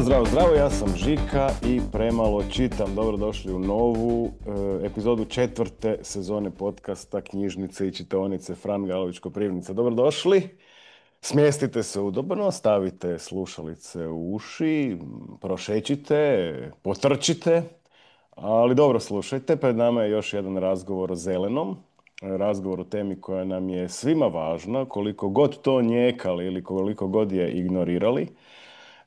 Zdravo, ja sam Žika i premalo čitam. Dobrodošli u novu epizodu 4. sezone podcasta Knjižnice i čitaonice Fran Galović Koprivnica. Dobrodošli, smjestite se udobno, stavite slušalice u uši, prošećite, potrčite, ali dobro slušajte, pred nama je još jedan razgovor o zelenom, razgovor o temi koja nam je svima važna, koliko god to njekali ili koliko god je ignorirali.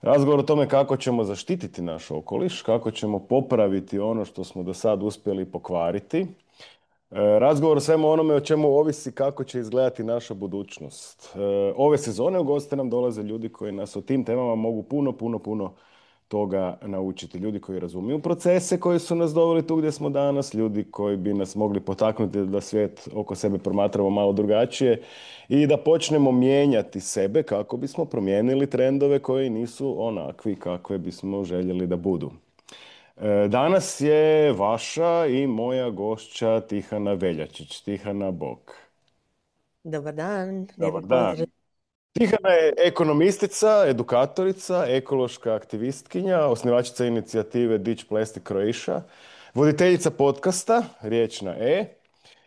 Razgovor o tome kako ćemo zaštititi naš okoliš, kako ćemo popraviti ono što smo do sad uspjeli pokvariti. Razgovor o svemu onome o čemu ovisi kako će izgledati naša budućnost. Ove sezone u goste nam dolaze ljudi koji nas o tim temama mogu puno toga naučiti. Ljudi koji razumiju procese koji su nas doveli tu gdje smo danas, ljudi koji bi nas mogli potaknuti da svijet oko sebe promatramo malo drugačije i da počnemo mijenjati sebe kako bismo promijenili trendove koji nisu onakvi kakve bismo željeli da budu. Danas je vaša i moja gošća Tihana Veljačić. Tihana, bok. Dobar dan, Dobar lijepi dan. pozdrav. Tihana je ekonomistica, edukatorica, ekološka aktivistkinja, osnivačica inicijative Ditch Plastic Croatia, voditeljica podcasta Riječ na E.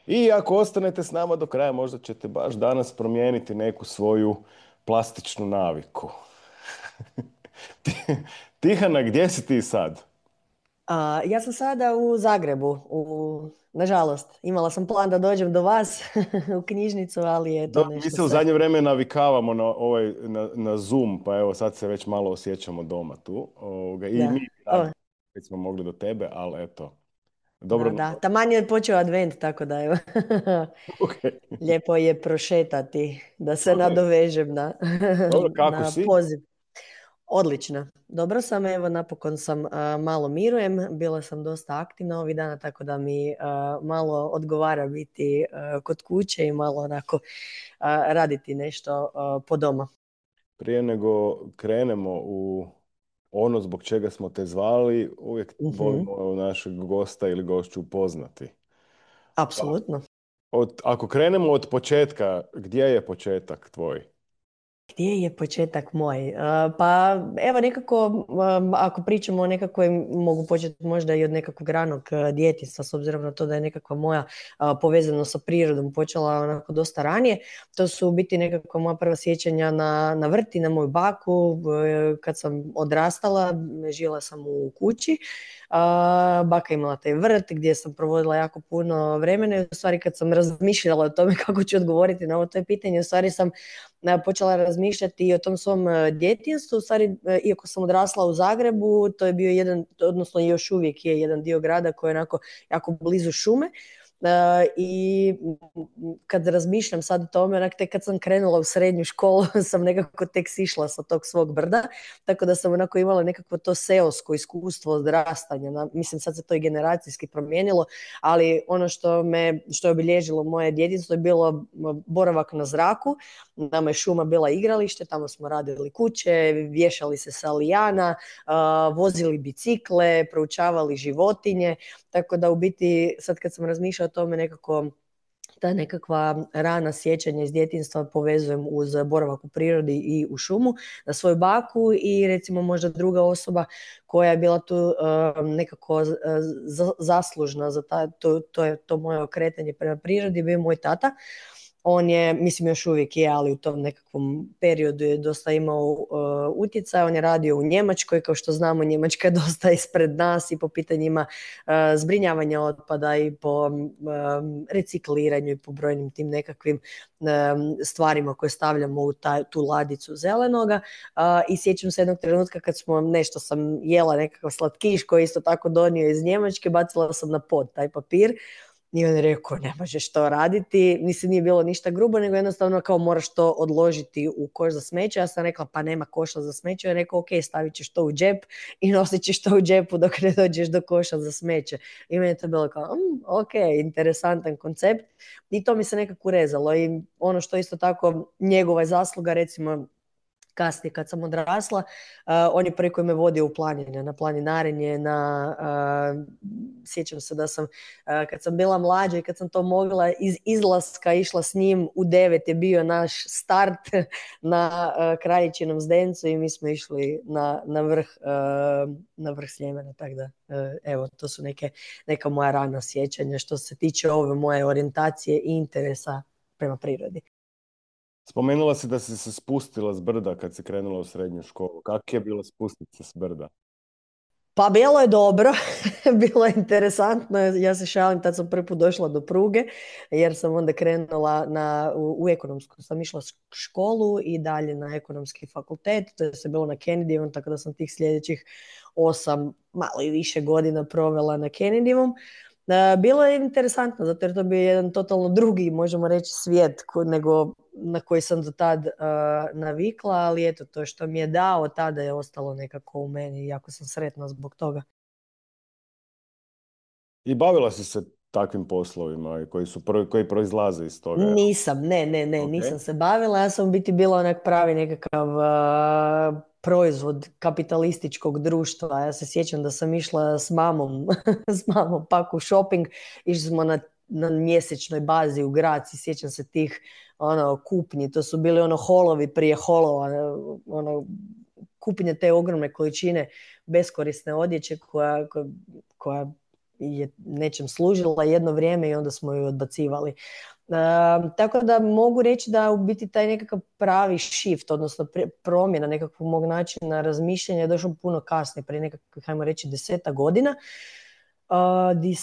I ako ostanete s nama do kraja, možda ćete baš danas promijeniti neku svoju plastičnu naviku. Tihana, gdje si ti sad? Ja sam sada u Zagrebu, nažalost. Imala sam plan da dođem do vas u knjižnicu, ali eto Mi nešto se u se... zadnje vrijeme navikavamo na Zoom, pa evo sad se već malo osjećamo doma tu. I Da. mi O, već smo mogli do tebe, ali eto. Dobro, da. Taman je počeo advent, tako da evo. ok. Lijepo je prošetati, da se Ok. nadovežem na, Dobro, kako na si? poziv. Odlično. Dobro sam, evo napokon sam malo mirujem, bila sam dosta aktivna ovih dana, tako da mi malo odgovara biti kod kuće i malo onako raditi nešto po doma. Prije nego krenemo u ono zbog čega smo te zvali, uvijek Mhm. volimo našeg gosta ili gošću upoznati. Pa, Apsolutno. ako krenemo od početka, gdje je početak tvoj? Gdje je početak moj? Pa evo nekako, ako pričamo o nekakvoj, mogu početi možda i od nekakvog ranog djetinjstva, s obzirom na to da je nekakva moja povezanost sa prirodom počela onako dosta ranije. To su u biti nekakva moja prva sjećanja na vrti, na moju baku. Kad sam odrastala, žila sam u kući. Baka imala taj vrt gdje sam provodila jako puno vremena i u stvari kad sam razmišljala o tome kako ću odgovoriti na ovo to pitanje, u stvari sam počela razmišljati i o tom svom djetinjstvu. U stvari, iako sam odrasla u Zagrebu, to je bio jedan, odnosno još uvijek je jedan dio grada koji je onako jako blizu šume. I kad razmišljam sad o tome, onak tek kad sam krenula u srednju školu sam nekako tek sišla sa tog svog brda, tako da sam onako imala nekakvo to seosko iskustvo odrastanja. Mislim sad se to i generacijski promijenilo, ali ono što je obilježilo moje djetinjstvo je bilo boravak na zraku. Nama je šuma bila igralište, tamo smo radili kuće, vješali se sa lijana, vozili bicikle, proučavali životinje, tako da u biti sad kad sam razmišljala o tome nekako ta nekakva rana sjećanja iz djetinjstva povezujem uz boravak u prirodi i u šumu, na svoju baku i recimo možda druga osoba koja je bila tu nekako zaslužna za to moje okretanje prema prirodi bio moj tata. On je, mislim još uvijek je, ali u tom nekakvom periodu je dosta imao utjecaj. On je radio u Njemačkoj, kao što znamo Njemačka je dosta ispred nas i po pitanjima zbrinjavanja otpada i po recikliranju i po brojnim tim nekakvim stvarima koje stavljamo u tu ladicu zelenoga. I sjećam se jednog trenutka kad nešto sam jela, nekakav slatkiš koji je isto tako donio iz Njemačke, bacila sam na pod taj papir. I on je rekao, ne možeš to raditi. Mislim, nije bilo ništa grubo, nego jednostavno kao moraš to odložiti u koš za smeće. Ja sam rekla, pa nema koša za smeće. On je rekao, ok, stavit ćeš to u džep i nosit ćeš to u džepu dok ne dođeš do koša za smeće. I meni je to bilo kao, ok, interesantan koncept. I to mi se nekako urezalo. I ono što isto tako njegova je zasluga, recimo, kasnije kad sam odrasla, on je prvi koji me vodio u planine, na planinarenje, sjećam se da sam, kad sam bila mlađa i kad sam to mogla iz izlaska išla s njim, u 9 je bio naš start na Kraljičinom zdencu i mi smo išli na vrh Sljemena, tako da evo, to su neka moja rana sjećanja što se tiče ove moje orijentacije i interesa prema prirodi. Spomenula si da si se spustila s brda kad si krenula u srednju školu. Kako je bilo spustiti se s brda? Pa bilo je dobro, bilo je interesantno, ja se šalim, tad sam prvi put došla do pruge, jer sam onda krenula u ekonomsku, sam išla školu i dalje na ekonomski fakultet, to je se bilo na Kennedyjevom, tako da sam tih sljedećih 8, malo i više godina provela na Kennedyjevom. Bilo je interesantno, zato jer to bio jedan totalno drugi, možemo reći, svijet nego na koji sam do tad navikla, ali eto, to što mi je dao tada je ostalo nekako u meni i jako sam sretna zbog toga. I bavila si se takvim poslovima koji proizlaze iz toga? Nisam, ne, Okay. nisam se bavila, ja sam u biti bila onak pravi nekakav proizvod kapitalističkog društva. Ja se sjećam da sam išla s mamom, pak u shopping, išli smo na mjesečnoj bazi u grad, sjećam se tih kupnji, to su bili holovi prije holova, kupnje te ogromne količine beskorisne odjeće koja je nečem služila jedno vrijeme i onda smo ju odbacivali. Tako da mogu reći da u biti taj nekakav pravi shift, odnosno promjena nekakvog mog načina razmišljanja je došao puno kasnije, prije nekakvih, hajmo reći, 10 godina, di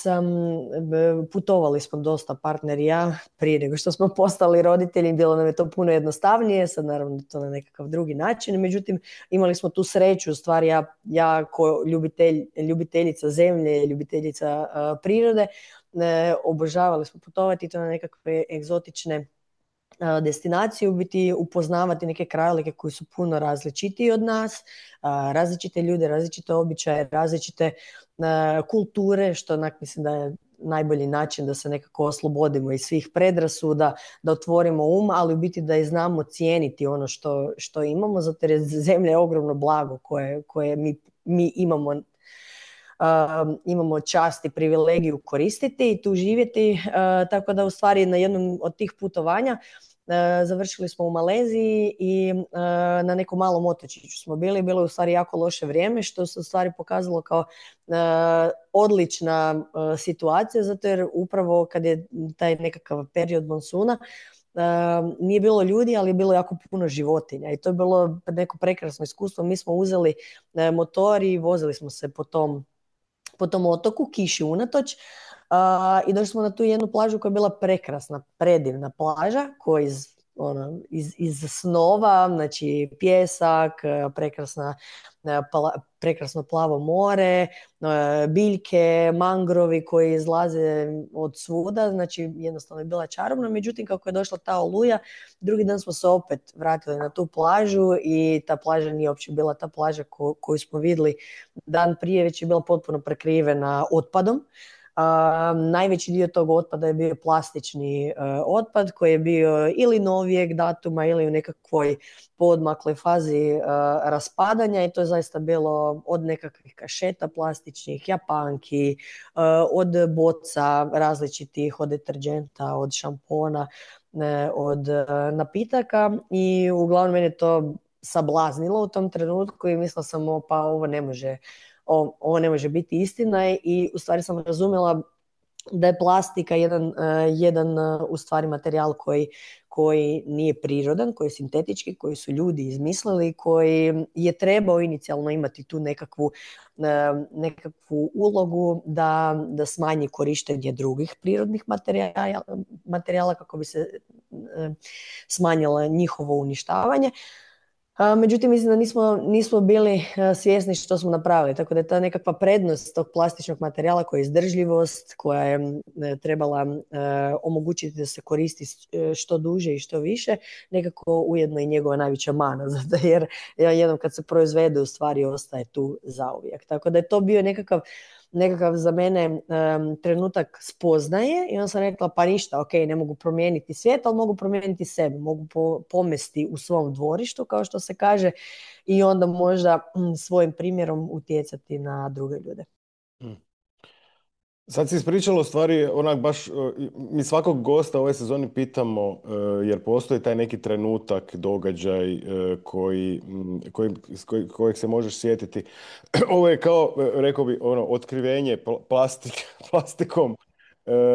putovali smo dosta, partner i ja, prije nego što smo postali roditelji, bilo nam je to puno jednostavnije, sad naravno to na nekakav drugi način, međutim imali smo tu sreću, u stvari ja ko ljubiteljica zemlje, ljubiteljica prirode, obožavali smo putovati to na nekakve egzotične destinacije, u biti upoznavati neke krajolike koji su puno različitiji od nas, različite ljude, različite običaje, različite kulture, što onak mislim da je najbolji način da se nekako oslobodimo iz svih predrasuda, da otvorimo ali u biti da i znamo cijeniti ono što imamo, zato jer je zemlja ogromno blago koje mi imamo čast i privilegiju koristiti i tu živjeti, tako da u stvari na jednom od tih putovanja završili smo u Maleziji i na nekom malom otočiću smo bili. Bilo je u stvari jako loše vrijeme, što se u stvari pokazalo kao odlična situacija, zato jer upravo kad je taj nekakav period monsuna, nije bilo ljudi, ali je bilo jako puno životinja i to je bilo neko prekrasno iskustvo. Mi smo uzeli motor i vozili smo se po tom otoku, kiši unatoč, i došli smo na tu jednu plažu koja je bila prekrasna, predivna plaža koja iz snova, znači pjesak, prekrasno plavo more, biljke, mangrovi koji izlaze od svuda, znači jednostavno je bila čarobna. Međutim, kako je došla ta oluja, drugi dan smo se opet vratili na tu plažu i ta plaža nije uopće bila ta plaža koju smo vidjeli dan prije, već je bila potpuno prekrivena otpadom. Najveći dio tog otpada je bio plastični otpad koji je bio ili novijeg datuma ili u nekakvoj poodmakloj fazi raspadanja i to je zaista bilo od nekakvih kašeta plastičnih, japanki, od boca različitih, od deterđenta, od šampona, od napitaka i uglavnom mene to sablaznilo u tom trenutku i mislila sam pa ovo ne može biti istina i u stvari sam razumjela da je plastika jedan u stvari materijal koji nije prirodan, koji je sintetički, koji su ljudi izmislili, koji je trebao inicijalno imati tu nekakvu ulogu da smanji korištenje drugih prirodnih materijala kako bi se smanjilo njihovo uništavanje. Međutim, mislim da nismo bili svjesni što smo napravili, tako da je ta nekakva prednost tog plastičnog materijala koja je izdržljivost, koja je trebala omogućiti da se koristi što duže i što više, nekako ujedno i njegova najveća mana, zato jer jednom kad se proizvede u stvari ostaje tu zauvijek. Tako da je to bio nekakav nekakav za mene trenutak spoznaje i onda sam rekla pa ništa, ok, ne mogu promijeniti svijet, ali mogu promijeniti sebe, mogu pomesti u svom dvorištu, kao što se kaže, i onda možda svojim primjerom utjecati na druge ljude. Sad si ispričalo stvari, onak baš, mi svakog gosta ove sezoni pitamo, jer postoji taj neki trenutak, događaj kojeg se možeš sjetiti. Ovo je kao, rekao bi, ono, otkrivenje plastikom.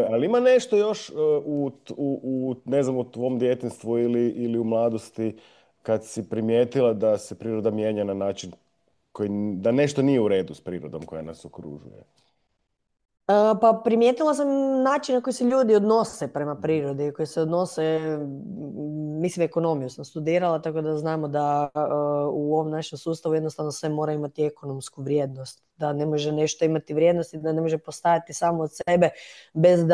Ali ima nešto još ne znam, u tvom djetinjstvu ili u mladosti kad si primijetila da se priroda mijenja na način da nešto nije u redu s prirodom koja nas okružuje? Pa primijetila sam način na koji se ljudi odnose prema prirodi, koji se odnose, mislim ekonomiju sam studirala, tako da znamo da u ovom našem sustavu jednostavno sve mora imati ekonomsku vrijednost, da ne može nešto imati vrijednost i da ne može postajati samo od sebe bez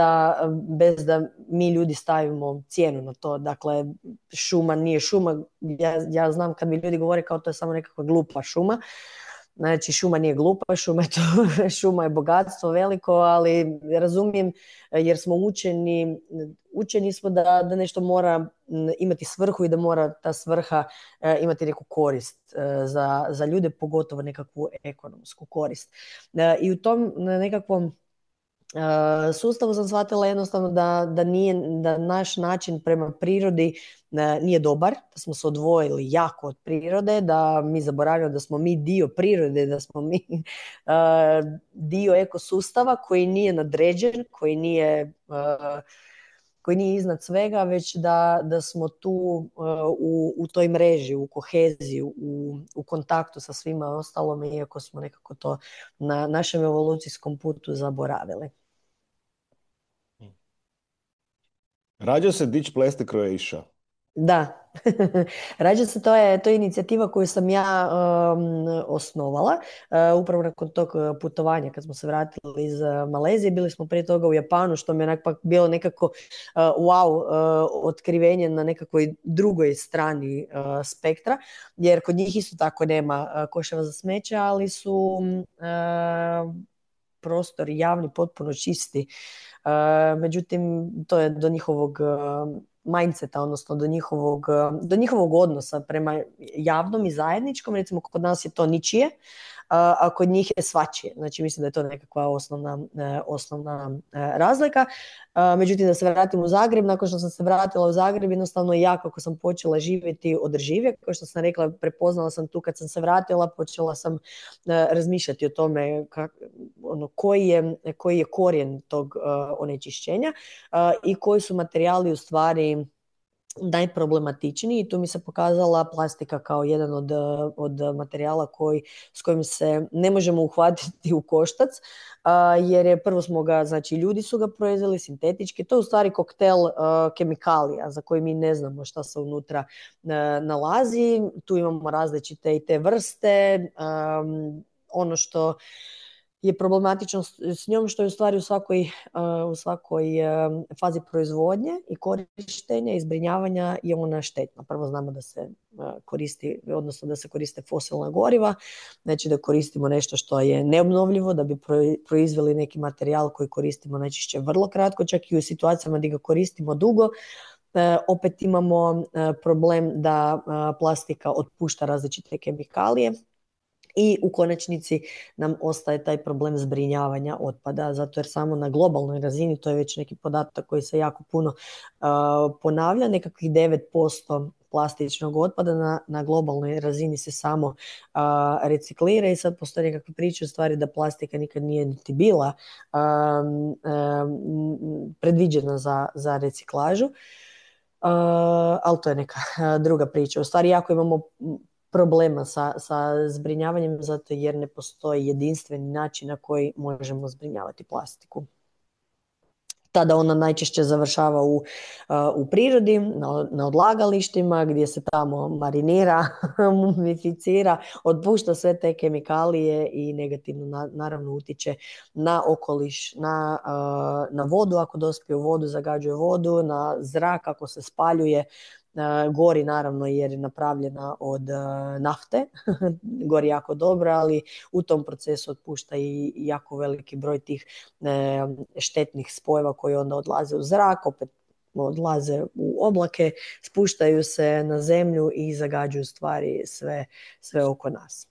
da mi ljudi stavimo cijenu na to. Dakle, šuma nije šuma, ja znam kad mi ljudi govore kao to je samo nekakva glupa šuma. Znači, šuma nije glupa, šuma je bogatstvo veliko, ali razumijem jer smo učeni smo da nešto mora imati svrhu i da mora ta svrha imati neku korist za ljude, pogotovo nekakvu ekonomsku korist. I u tom nekakvom sustavu sam shvatila jednostavno da naš način prema prirodi nije dobar, da smo se odvojili jako od prirode, da mi zaboravljamo da smo mi dio prirode, da smo mi dio ekosustava koji nije nadređen, koji nije iznad svega, već da smo tu u toj mreži, u koheziji, u kontaktu sa svima ostalom, iako smo nekako to na našem evolucijskom putu zaboravili. Rađa se Ditch Plastic Croatia. Da, rađa se, to je inicijativa koju sam ja osnovala upravo nakon tog putovanja kad smo se vratili iz Malezije. Bili smo prije toga u Japanu, što mi je onak bilo nekako wow otkrivenje na nekakvoj drugoj strani spektra, jer kod njih isto tako nema koševa za smeće, ali su prostori javni potpuno čisti. Međutim, to je do njihovog mindseta, odnosno do njihovog odnosa prema javnom i zajedničkom. Recimo, kod nas je to ničije, a kod njih je svačije. Znači, mislim da je to nekakva osnovna razlika. Međutim, da se vratim u Zagreb, nakon što sam se vratila u Zagreb, jednostavno ja kako sam počela živjeti održivije, kao što sam rekla, prepoznala sam tu kad sam se vratila, počela sam razmišljati o tome koji je korijen tog onečišćenja i koji su materijali u stvari najproblematičniji, i tu mi se pokazala plastika kao jedan od materijala s kojim se ne možemo uhvatiti u koštac, jer je prvo smo ga, znači ljudi su ga proizveli sintetički, to je u stvari koktel kemikalija za koji mi ne znamo šta se unutra nalazi. Tu imamo različite i te vrste, ono što je problematično s njom što je u stvari u svakoj fazi proizvodnje i korištenja i zbrinjavanja je ona štetna. Prvo znamo da se koristi, odnosno da se koriste fosilna goriva, znači da koristimo nešto što je neobnovljivo da bi proizveli neki materijal koji koristimo najčešće vrlo kratko, čak i u situacijama gdje ga koristimo dugo. Opet imamo problem da plastika otpušta različite kemikalije i u konačnici nam ostaje taj problem zbrinjavanja otpada, zato jer samo na globalnoj razini, to je već neki podatak koji se jako puno ponavlja, nekakvih 9% plastičnog otpada na globalnoj razini se samo reciklira, i sad postoje nekakve priče u stvari da plastika nikad nije niti bila predviđena za reciklažu, ali to je neka druga priča. U stvari jako imamo problema sa zbrinjavanjem zato jer ne postoji jedinstveni način na koji možemo zbrinjavati plastiku. Tada ona najčešće završava u prirodi, na odlagalištima gdje se tamo marinira, mumificira, otpušta sve te kemikalije i negativno naravno utječe na okoliš, na vodu ako dospije u vodu, zagađuje vodu, na zrak ako se spaljuje gori naravno jer je napravljena od nafte, gori jako dobro, ali u tom procesu otpušta i jako veliki broj tih štetnih spojeva koji onda odlaze u zrak, opet odlaze u oblake, spuštaju se na zemlju i zagađuju stvari sve oko nas.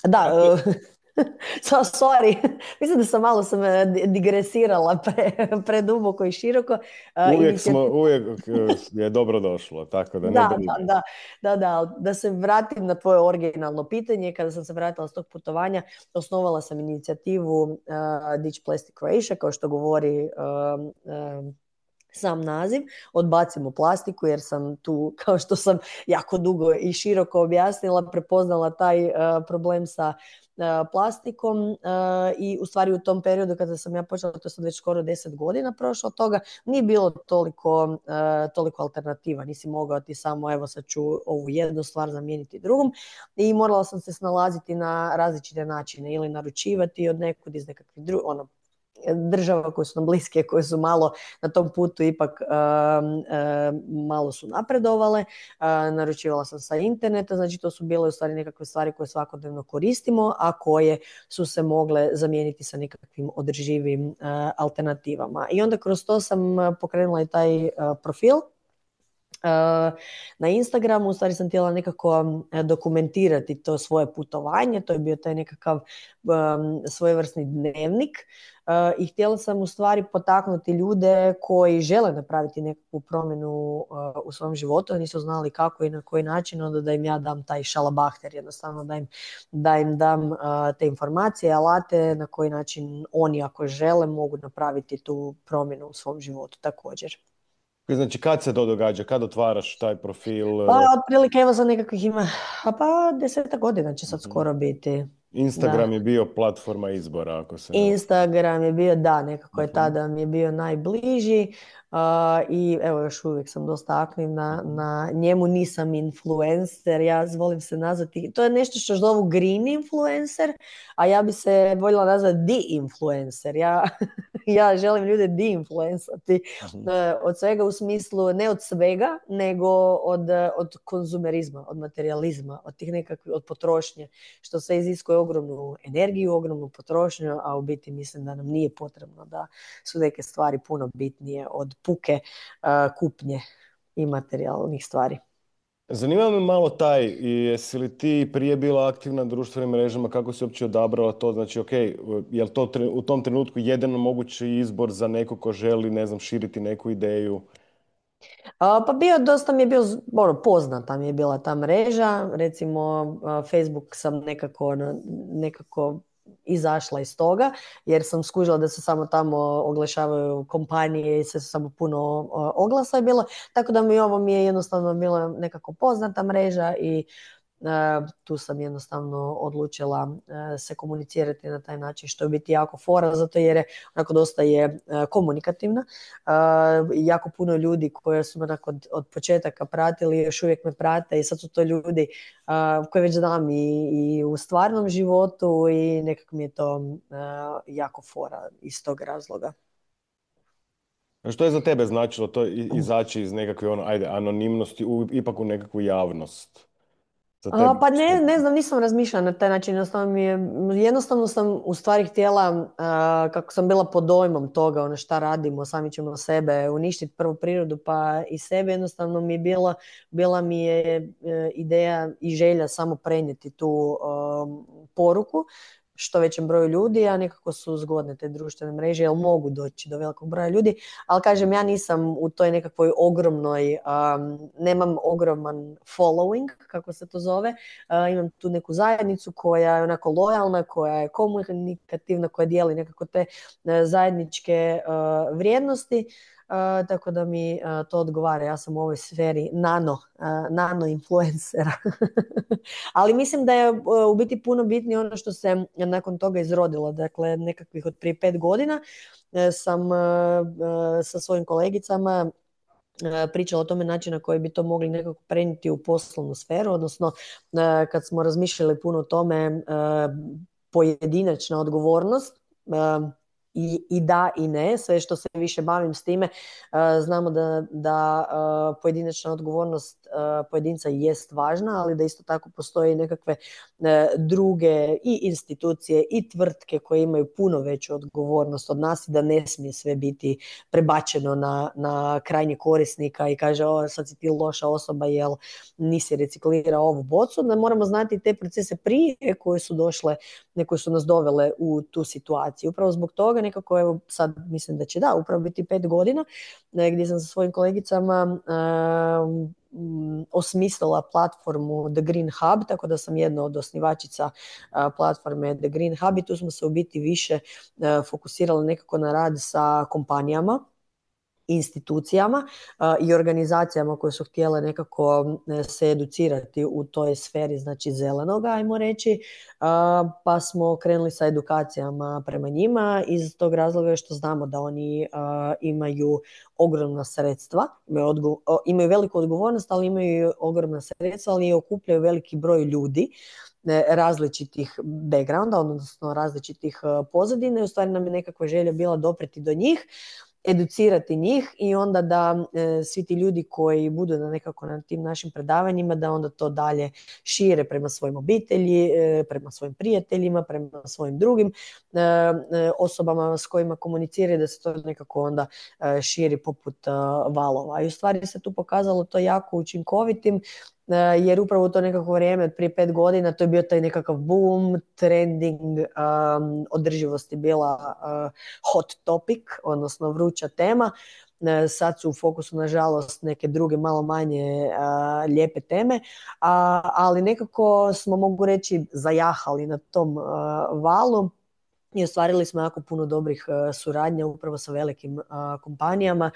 Da, sorry, mislim da sam malo digresirala preduboko i široko. Uvijek je dobro došlo, tako da ne Da, brine. da se vratim na tvoje originalno pitanje. Kada sam se vratila s tog putovanja, osnovala sam inicijativu Ditch Plastic Croatia, kao što govori sam naziv, odbacimo plastiku jer sam tu, kao što sam jako dugo i široko objasnila, prepoznala taj problem sa plastikom i u stvari u tom periodu kada sam ja počela, to sam već skoro 10 godina prošla od toga, nije bilo toliko alternativa, nisi mogao ti samo evo sad ću ovu jednu stvar zamijeniti drugom i morala sam se snalaziti na različite načine ili naručivati od nekud iz nekakvih država koje su nam bliske, koje su malo na tom putu ipak malo su napredovale. Naručivala sam sa interneta, znači to su bile u stvari nekakve stvari koje svakodnevno koristimo, a koje su se mogle zamijeniti sa nekakvim održivim alternativama. I onda kroz to sam pokrenula i taj profil na Instagramu. U stvari sam htjela nekako dokumentirati to svoje putovanje, to je bio taj nekakav svojevrsni dnevnik i htjela sam u stvari potaknuti ljude koji žele napraviti nekakvu promjenu u svom životu, a nisu znali kako i na koji način, onda da im ja dam taj šalabahter, jednostavno da im dam te informacije, alate na koji način oni ako žele mogu napraviti tu promjenu u svom životu također. Znači, kad se to događa? Kad otvaraš taj profil? Pa otprilike evo za nekakvih ima, pa 10 godina će sad skoro biti. Instagram Da. je bio platforma izbora, ako se ne varam. Instagram je bio, da, nekako je tada mi je bio najbliži i evo još uvijek sam dosta aktivna na njemu, nisam influencer, ja volim se nazvati, to je nešto što zovu green influencer, a ja bi se voljela nazvati de-influencer, ja želim ljude de-influencati od svega u smislu, ne od svega, nego od konzumerizma, od materializma, od tih nekakvih, od potrošnje, što se iziskuje ogromnu energiju, ogromnu potrošnju, a u biti mislim da nam nije potrebno, da su neke stvari puno bitnije od puke kupnje i materijalnih stvari. Zanima me malo taj, jesi li ti prije bila aktivna na društvenim mrežama, kako si uopće odabrala to, znači ok, je li to u tom trenutku jedan mogući izbor za neko ko želi, ne znam, širiti neku ideju? Pa dosta mi je bio, poznata mi je bila ta mreža, recimo Facebook sam nekako izašla iz toga, jer sam skužila da se samo tamo oglašavaju kompanije i se samo puno oglasa je bilo, tako da mi je jednostavno bila nekako poznata mreža i tu sam jednostavno odlučila se komunicirati na taj način, što je biti jako fora, zato jer je onako dosta je komunikativna. Jako puno ljudi koji su me od početaka pratili, još uvijek me prate i sad su to ljudi koje već znam i u stvarnom životu i nekako mi je to jako fora iz tog razloga. A što je za tebe značilo to izaći iz nekakve anonimnosti ipak u nekakvu javnost? Za tebe? Pa ne znam, nisam razmišljala na taj način, jednostavno sam u stvari htjela, kako sam bila pod dojmom toga, šta radimo, sami ćemo sebe uništiti, prvu prirodu pa i sebe, jednostavno mi je bila mi je ideja i želja samo prenijeti tu poruku što većem broju ljudi, a nekako su zgodne te društvene mreže, jer mogu doći do velikog broja ljudi, ali kažem, ja nisam u toj nekakvoj ogromnoj, nemam ogroman following, kako se to zove, imam tu neku zajednicu koja je onako lojalna, koja je komunikativna, koja dijeli nekako te zajedničke vrijednosti, tako da mi to odgovara. Ja sam u ovoj sferi nano influencera. Ali mislim da je u biti puno bitnije ono što se nakon toga izrodilo. Dakle, nekakvih od prije 5 godina sam sa svojim kolegicama pričala o tome način na koji bi to mogli nekako prenijeti u poslovnu sferu, odnosno kad smo razmišljali puno o tome, pojedinačna odgovornost, i da i ne, sve što se više bavim s time, znamo da pojedinačna odgovornost pojedinca jest važna, ali da isto tako postoji nekakve druge i institucije i tvrtke koje imaju puno veću odgovornost od nas i da ne smije sve biti prebačeno na krajnje korisnika i kaže sad si ti loša osoba jel nisi reciklirao ovu bocu, da moramo znati te procese prije koje su došle, koje su nas dovele u tu situaciju. Upravo zbog toga nekako, evo sad mislim da će upravo biti 5 godina, gdje sam sa svojim kolegicama osmislila platformu The Green Hub, tako da sam jedna od osnivačica platforme The Green Hub i tu smo se u biti više fokusirali nekako na rad sa kompanijama, institucijama i organizacijama koje su htjele nekako se educirati u toj sferi, znači zelenog, ajmo reći, pa smo krenuli sa edukacijama prema njima iz tog razloga što znamo da oni imaju ogromna sredstva, imaju veliku odgovornost, ali imaju ogromna sredstva, ali okupljaju veliki broj ljudi različitih backgrounda, odnosno različitih pozadina i u stvari nam je nekakva želja bila dopreti do njih, educirati njih i onda da svi ti ljudi koji budu nekako na tim našim predavanjima da onda to dalje šire prema svojim obitelji, prema svojim prijateljima, prema svojim drugim osobama s kojima komuniciraju, da se to nekako onda širi poput valova. I u stvari se tu pokazalo to jako učinkovitim, jer upravo u to nekako vrijeme od prije 5 godina to je bio taj nekakav boom, trending, održivost je bila hot topic, odnosno vruća tema. Sad su u fokusu nažalost neke druge malo manje lijepe teme, ali nekako smo, mogu reći, zajahali na tom valu i ostvarili smo jako puno dobrih suradnja upravo sa velikim kompanijama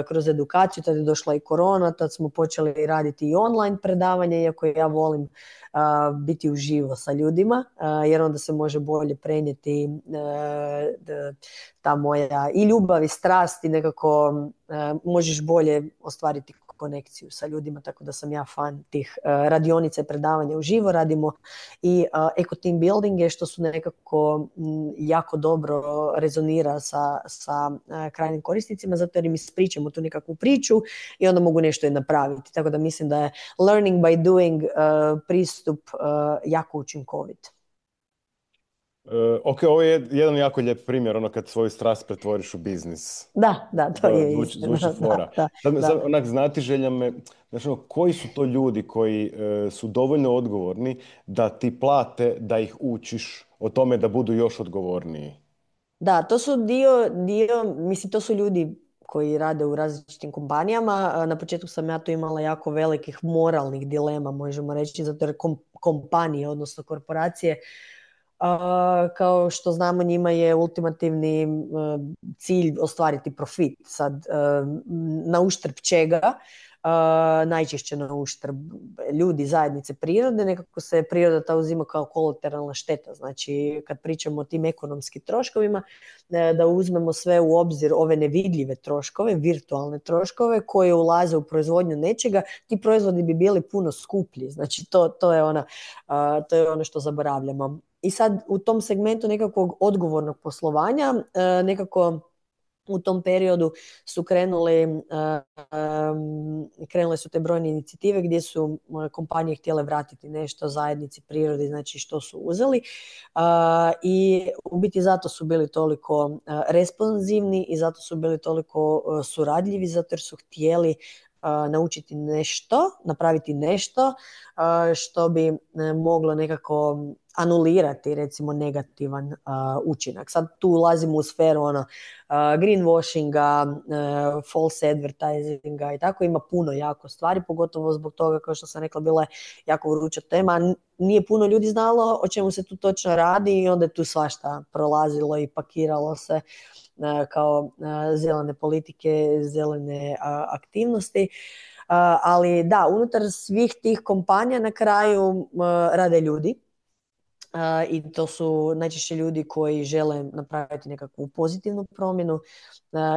kroz edukaciju. Tad je došla i korona, tad smo počeli raditi i online predavanje, iako ja volim biti uživo sa ljudima, jer onda se može bolje prenijeti ta moja i ljubav i strast i nekako možeš bolje ostvariti konekciju sa ljudima, tako da sam ja fan tih radionica i predavanja uživo. Radimo i eco team buildinge, što su nekako jako dobro rezonira sa krajnjim korisnicima, zato jer im ispričamo tu nekakvu priču i onda mogu nešto i napraviti. Tako da mislim da je learning by doing pristup jako učinkovit. Ok, ovo je jedan jako lijep primjer, ono kad svoju strast pretvoriš u biznis. Da, to je istina. Zvuči fora. Sad onak znati želja me, znači, koji su to ljudi koji su dovoljno odgovorni da ti plate da ih učiš o tome da budu još odgovorniji? Da, to su mislim, to su ljudi koji rade u različitim kompanijama. Na početku sam ja tu imala jako velikih moralnih dilema, možemo reći, zato jer kompanije, odnosno korporacije, kao što znamo, njima je ultimativni cilj ostvariti profit. Sad, na uštrb čega? Najčešće na uštrb ljudi, zajednice, prirode. Nekako se priroda ta uzima kao kolateralna šteta. Znači, kad pričamo o tim ekonomskim troškovima, da uzmemo sve u obzir ove nevidljive troškove, virtualne troškove koje ulaze u proizvodnju nečega, ti proizvodi bi bili puno skuplji. Znači, to je ono što zaboravljamo. I sad u tom segmentu nekakvog odgovornog poslovanja, nekako u tom periodu su krenule su te brojne inicijative gdje su kompanije htjele vratiti nešto zajednici, prirodi, znači što su uzeli. I u biti zato su bili toliko responsivni i zato su bili toliko suradljivi, zato jer su htjeli naučiti nešto, napraviti nešto što bi moglo nekako anulirati recimo negativan učinak. Sad tu ulazimo u sferu greenwashinga, false advertisinga i tako, ima puno jako stvari, pogotovo zbog toga, kao što sam rekla, bila je jako vruća tema. Nije puno ljudi znalo o čemu se tu točno radi i onda je tu svašta prolazilo i pakiralo se kao zelene politike, zelene aktivnosti. Ali da, unutar svih tih kompanija na kraju rade ljudi. I to su najčešće ljudi koji žele napraviti nekakvu pozitivnu promjenu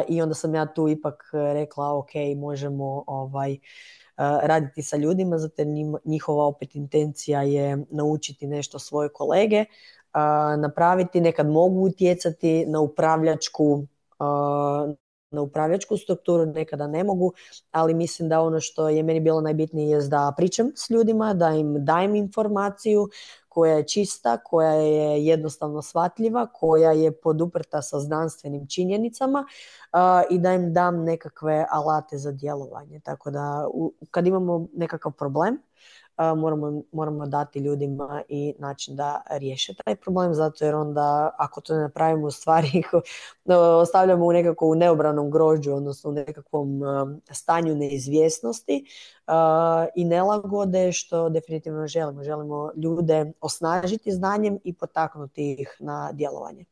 i onda sam ja tu ipak rekla ok, možemo raditi sa ljudima, zato jer njihova opet intencija je naučiti nešto svoje kolege napraviti, nekad mogu utjecati na upravljačku strukturu, nekada ne mogu, ali mislim da ono što je meni bilo najbitnije je da pričam s ljudima, da im dajem informaciju koja je čista, koja je jednostavno shvatljiva, koja je poduprta sa znanstvenim činjenicama i da im dam nekakve alate za djelovanje. Tako da kad imamo nekakav problem, moramo dati ljudima i način da riješe taj problem, zato jer onda ako to ne napravimo u stvari ostavljamo u neobranom grožđu, odnosno u nekakvom stanju neizvjesnosti i nelagode, što definitivno želimo. Želimo ljude osnažiti znanjem i potaknuti ih na djelovanje.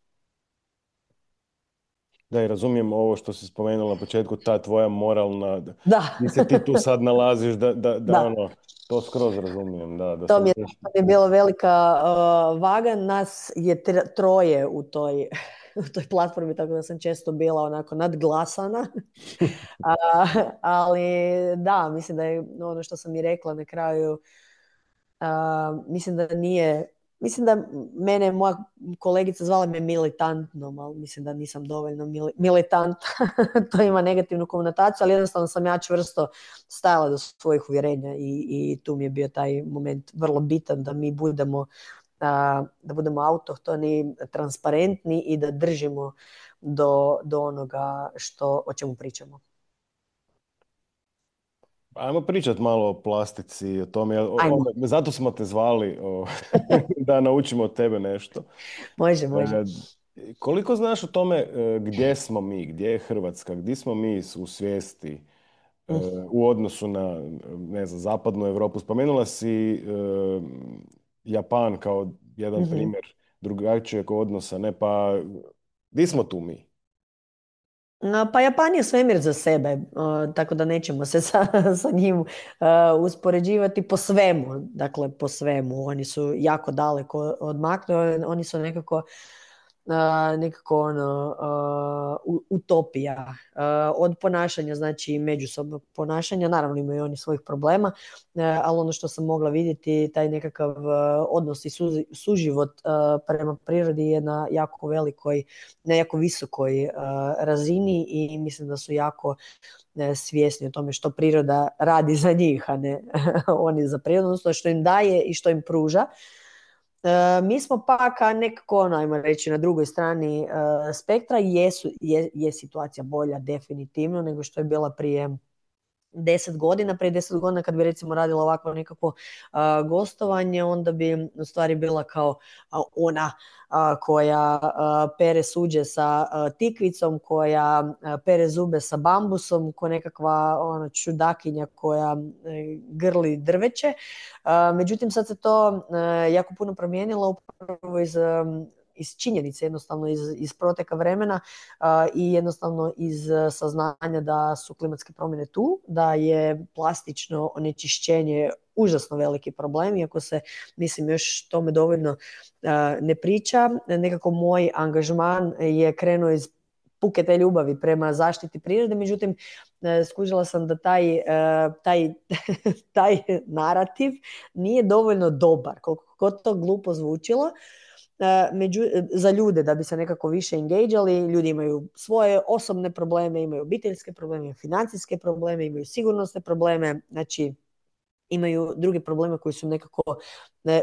Da, i razumijem ovo što si spomenula na početku, ta tvoja moralna, Da, gdje se ti tu sad nalaziš, da da. ono, to skroz razumijem, da To se mi je, teško. to mi je bila velika vaga. Nas je troje u toj, u toj platformi, tako da sam često bila onako nadglasana. Ali da, mislim da je ono što sam i rekla na kraju, mislim da nije, mislim da mene moja kolegica zvala me militantnom, ali mislim da nisam dovoljno militant. To ima negativnu konotaciju, ali jednostavno sam ja čvrsto stajala do svojih uvjerenja i tu mi je bio taj moment vrlo bitan da mi budemo da budemo autohtoni, transparentni i da držimo do onoga o čemu pričamo. Ajmo pričat malo o plastici, o tome, Ajmo, zato smo te zvali, da naučimo od tebe nešto. može, može. E, Koliko znaš o tome gdje smo mi, gdje je Hrvatska, gdje smo mi u svijesti e, Mm. u odnosu na, ne znam, zapadnu Europu? Spomenula si Japan kao jedan Mhm. primjer drugačijeg odnosa, ne, pa gdje smo tu mi? Pa Japan je svemir za sebe, tako da nećemo se sa njim uspoređivati po svemu. Dakle, po svemu. Oni su jako daleko odmaknuli, oni su nekako ono, utopija od ponašanja, znači međusobnog ponašanja. Naravno imaju oni svojih problema, ali ono što sam mogla vidjeti, taj nekakav odnos i suživot prema prirodi je na jako velikoj, na jako visokoj razini i mislim da su jako svjesni o tome što priroda radi za njih, a ne oni za prirodu, odnosno što im daje i što im pruža. Mi smo pak nekako, ajmo reći, na drugoj strani spektra. Je situacija bolja definitivno nego što je bila prije 10 godina. Prije 10 godina kad bi recimo radila ovakvo nekako gostovanje, onda bi u stvari bila kao ona koja pere suđe sa tikvicom, koja pere zube sa bambusom, ko nekakva ona čudakinja koja grli drveće. Međutim, sad se to jako puno promijenilo upravo iz činjenice, jednostavno iz proteka vremena i jednostavno iz saznanja da su klimatske promjene tu, da je plastično onečišćenje užasno veliki problem, iako se, mislim, još tome dovoljno ne priča. Nekako moj angažman je krenuo iz puke te ljubavi prema zaštiti prirode, međutim, skužila sam da taj narativ nije dovoljno dobar, koliko god to glupo zvučilo, za ljude da bi se nekako više engageali. Ljudi imaju svoje osobne probleme, imaju obiteljske probleme, imaju financijske probleme, imaju sigurnosne probleme, znači imaju druge probleme koji su nekako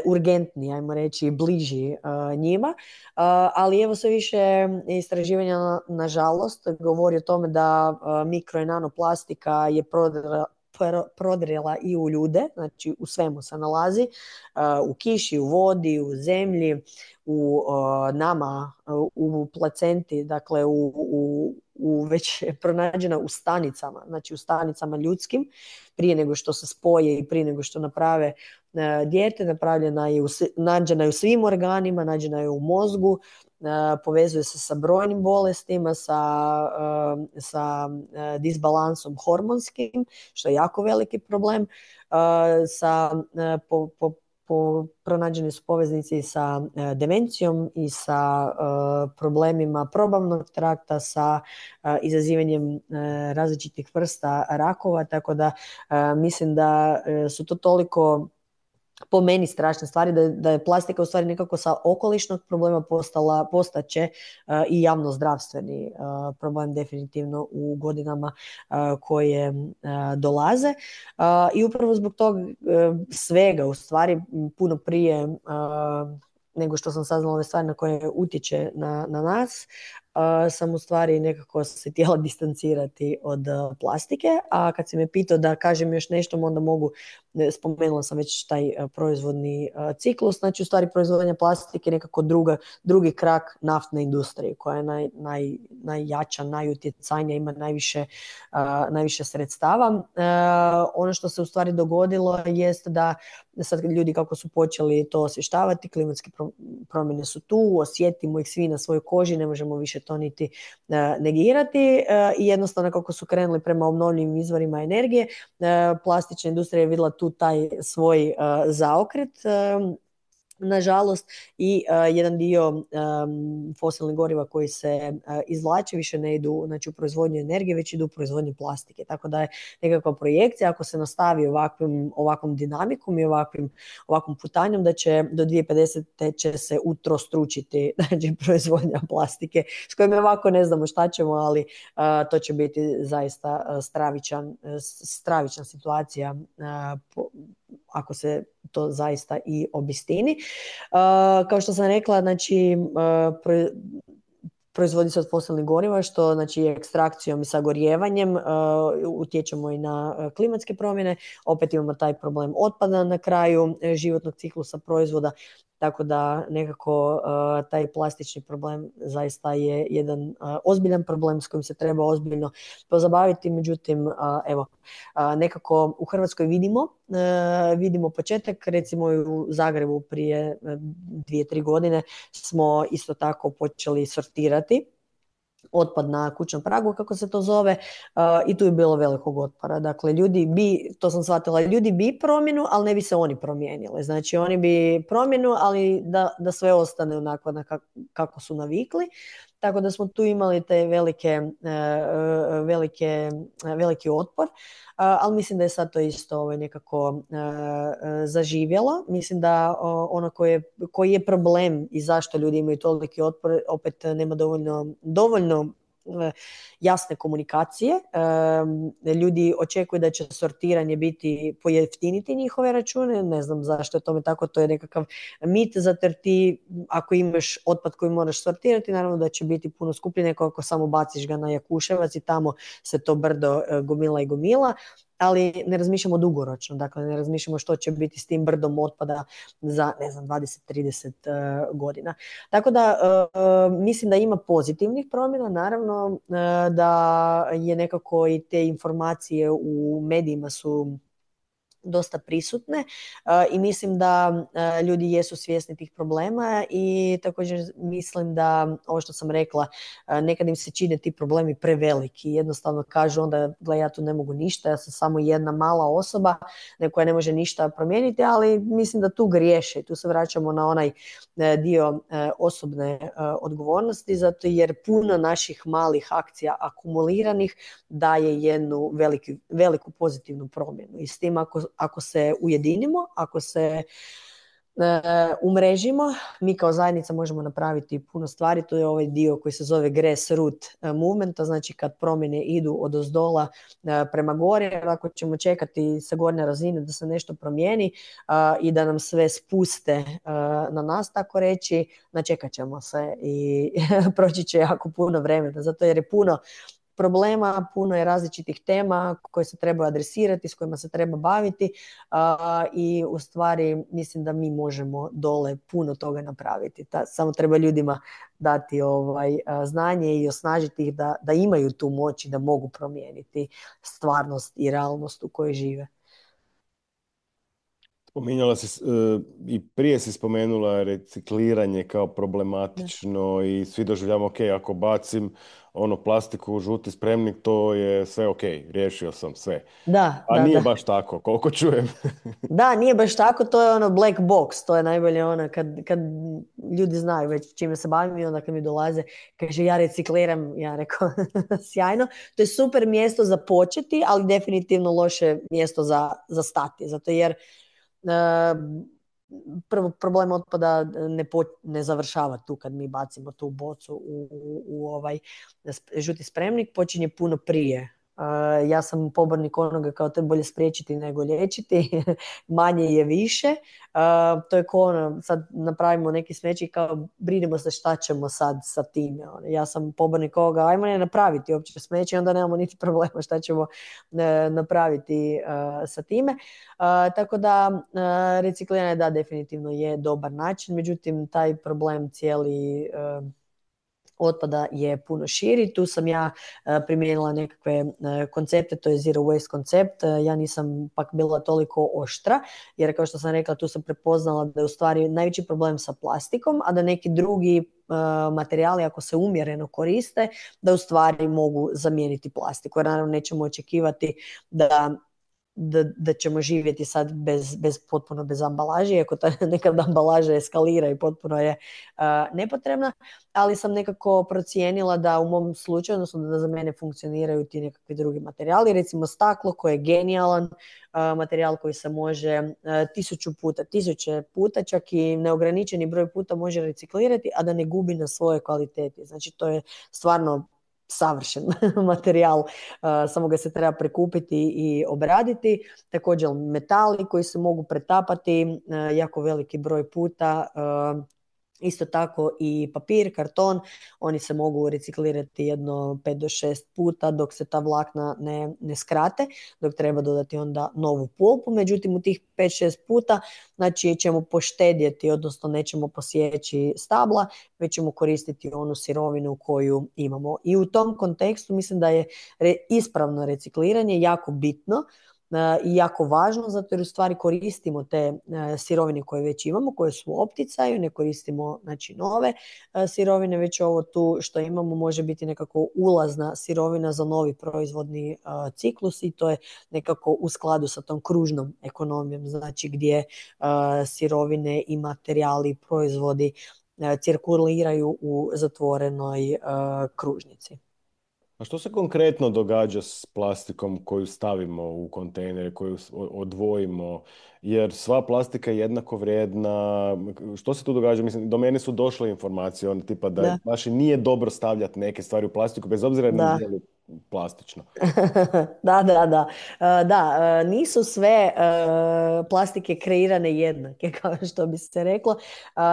urgentni, ajmo reći, bliži njima. Ali evo sve više istraživanja, nažalost, govori o tome da mikro i nanoplastika je prodrela i u ljude, znači u svemu se nalazi, u kiši, u vodi, u zemlji, u nama, u placenti, dakle već pronađena u stanicama, znači u stanicama ljudskim, prije nego što se spoje i prije nego što naprave dijete. Nađena je u svim organima, nađena je u mozgu, povezuje se sa brojnim bolestima, sa disbalansom hormonskim, što je jako veliki problem, pronađeni su poveznici sa demencijom i sa problemima probavnog trakta, sa izazivanjem različitih vrsta rakova, tako da mislim da su to toliko po meni strašne stvari, da je plastika u stvari nekako sa okolišnog problema postaće i javnozdravstveni problem definitivno u godinama koje dolaze. I upravo zbog tog svega u stvari puno prije nego što sam saznala ove stvari na koje utječe na nas, sam u stvari nekako se htjela distancirati od plastike, a kad si me pitao da kažem još nešto, onda mogu, spomenula sam već taj proizvodni ciklus, znači u stvari proizvodnja plastike je nekako drugi krak naftne industrije koja je najjača, najutjecajnija, ima najviše sredstava. Ono što se u stvari dogodilo jest da sad ljudi kako su počeli to osvještavati, klimatske promjene su tu, osjetimo ih svi na svojoj koži, ne možemo više to niti negirati i jednostavno kako su krenuli prema obnovljivim izvorima energije, plastična industrija je vidjela tu taj svoj zaokret, nažalost, i jedan dio fosilnih goriva koji se izvlače više ne idu, znači, u proizvodnju energije, već idu u proizvodnju plastike. Tako da je nekakva projekcija, ako se nastavi ovakvom dinamikom i ovakvom putanjom, da će do 2050. će se utrostručiti, znači, proizvodnja plastike, s kojim ovako ne znamo šta ćemo, ali to će biti zaista stravična situacija ako se to zaista i obistini. Kao što sam rekla, znači, proizvodi se od fosilnih goriva, što znači ekstrakcijom i sagorijevanjem utječemo i na klimatske promjene. Opet imamo taj problem otpada na kraju životnog ciklusa proizvoda, tako da nekako taj plastični problem zaista je jedan ozbiljan problem s kojim se treba ozbiljno pozabaviti. Međutim, evo, nekako u Hrvatskoj vidimo početak, recimo u Zagrebu prije 2-3 godine smo isto tako počeli sortirati otpad na kućnom pragu, kako se to zove, i tu je bilo velikog otpora. Dakle, to sam shvatila, ljudi bi promjenu, ali ne bi se oni promijenili. Znači, oni bi promjenu, ali da sve ostane onako kako su navikli. Tako da smo tu imali te veliki otpor, ali mislim da je sad to isto nekako zaživjelo. Mislim da ono koji je problem i zašto ljudi imaju toliki otpor, opet nema dovoljno jasne komunikacije. Ljudi očekuju da će sortiranje biti pojeftiniti njihove račune, ne znam zašto je tome tako, to je nekakav mit, zato jer ti ako imaš otpad koji moraš sortirati, naravno da će biti puno skuplje nego ako samo baciš ga na Jakuševac i tamo se to brdo gomila i gomila, ali ne razmišljamo dugoročno, dakle ne razmišljamo što će biti s tim brdom otpada za, ne znam, 20-30 godina. Tako da mislim da ima pozitivnih promjena, naravno da je nekako i te informacije u medijima su dosta prisutne i mislim da ljudi jesu svjesni tih problema i također mislim da, ovo što sam rekla, nekad im se čine ti problemi preveliki. Jednostavno kažu onda, gle, ja tu ne mogu ništa, ja sam samo jedna mala osoba koja ne može ništa promijeniti, ali mislim da tu griješe i tu se vraćamo na onaj dio osobne odgovornosti, zato jer puno naših malih akcija akumuliranih daje jednu veliku pozitivnu promjenu. I s tim ako se ujedinimo, ako se umrežimo, mi kao zajednica možemo napraviti puno stvari. To je ovaj dio koji se zove grassroot movement, znači kad promjene idu odozdola prema gore, jer ako ćemo čekati sa gornje razine da se nešto promijeni i da nam sve spuste na nas, tako reći, načekat ćemo se i proći će jako puno vremena, zato jer je puno problema, puno je različitih tema koje se treba adresirati, s kojima se treba baviti i u stvari mislim da mi možemo dole puno toga napraviti. Samo treba ljudima dati znanje i osnažiti ih da imaju tu moć i da mogu promijeniti stvarnost i realnost u kojoj žive. Spominjala si, i prije si spomenula recikliranje kao problematično i svi doživljamo, ok, ako bacim plastiku u žuti spremnik, to je sve ok, riješio sam sve. Da, A da, nije da. baš tako, koliko čujem. Da, nije baš tako, to je black box, to je najbolje kad ljudi znaju već čime se bavim i onda kad mi dolaze, kaže ja recikliram, ja rekao sjajno, to je super mjesto za početi, ali definitivno loše mjesto za stati, zato jer prvo problem otpada ne završava tu kad mi bacimo tu bocu u ovaj žuti spremnik, počinje puno prije. Ja sam pobornik onoga kao te bolje spriječiti nego liječiti, manje je više. To je kao ono, sad napravimo neki smeće i kao brinemo se šta ćemo sad sa time. Ja sam pobornik ovoga, ajmo ne napraviti uopće smeće i onda nemamo niti problema šta ćemo napraviti sa time. Tako da recikliranje da definitivno je dobar način, međutim taj problem cijeli otpada je puno širi. Tu sam ja primijenila nekakve koncepte, to je zero waste koncept. Ja nisam pak bila toliko oštra, jer kao što sam rekla, tu sam prepoznala da je u stvari najveći problem sa plastikom, a da neki drugi materijali ako se umjereno koriste, da u stvari mogu zamijeniti plastiku. Jer naravno nećemo očekivati da ćemo živjeti sad potpuno bez ambalaže, iako ta nekad ambalaža eskalira i potpuno je nepotrebna, ali sam nekako procijenila da u mom slučaju, odnosno da za mene funkcioniraju ti nekakvi drugi materijali, recimo staklo koje je genijalan materijal koji se može tisuće puta, čak i neograničeni broj puta može reciklirati, a da ne gubi na svojoj kvaliteti. Znači to je stvarno savršen materijal, samo ga se treba prekupiti i obraditi. Također metali koji se mogu pretapati jako veliki broj puta, isto tako i papir, karton, oni se mogu reciklirati jedno 5 do 6 puta dok se ta vlakna ne skrate, dok treba dodati onda novu pulpu. Međutim, u tih 5-6 puta znači ćemo poštedjeti, odnosno nećemo posjeći stabla, već ćemo koristiti onu sirovinu koju imamo. I u tom kontekstu mislim da je ispravno recikliranje jako bitno i jako važno, zato jer u stvari koristimo te sirovine koje već imamo, koje su u opticaju, ne koristimo znači nove sirovine, već ovo tu što imamo može biti nekako ulazna sirovina za novi proizvodni ciklus i to je nekako u skladu sa tom kružnom ekonomijom, znači gdje sirovine i materijali, proizvodi cirkuliraju u zatvorenoj kružnici. A što se konkretno događa s plastikom koju stavimo u kontejnere, koju odvojimo? Jer sva plastika je jednako vrijedna. Što se tu događa? Mislim, do mene su došle informacije, on tipa da Da, baš i nije dobro stavljati neke stvari u plastiku, bez obzira da. je li plastično. Da. Da, nisu sve plastike kreirane jednake, kao što bi se reklo.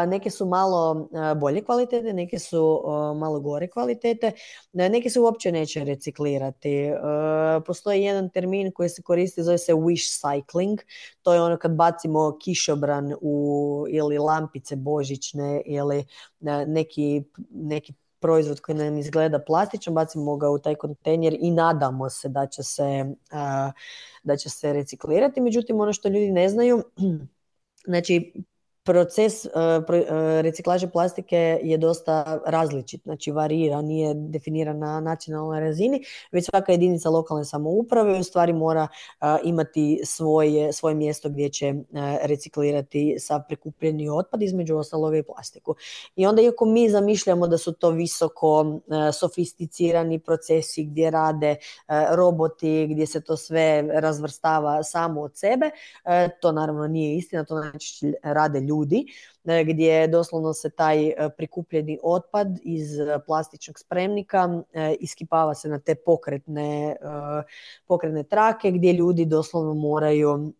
Neke su malo bolje kvalitete, neke su malo gore kvalitete, neke se uopće neće reciklirati. Postoji jedan termin koji se koristi, zove se wish cycling. To je ono kad bacimo kišobran ili lampice božićne ili neki proizvod koji nam izgleda plastičan, bacimo ga u taj kontejner i nadamo se da će se reciklirati. Međutim, ono što ljudi ne znaju, znači proces reciklaže plastike je dosta različit, znači varira, nije definiran na nacionalnoj razini, već svaka jedinica lokalne samouprave u stvari mora imati svoje mjesto gdje će reciklirati sav prikupljeni otpad, između ostaloga i plastiku. I onda iako mi zamišljamo da su to visoko sofisticirani procesi gdje rade roboti, gdje se to sve razvrstava samo od sebe, to naravno nije istina, to znači rade ljudi, gdje doslovno se taj prikupljeni otpad iz plastičnog spremnika iskipava se na te pokretne trake gdje ljudi doslovno moraju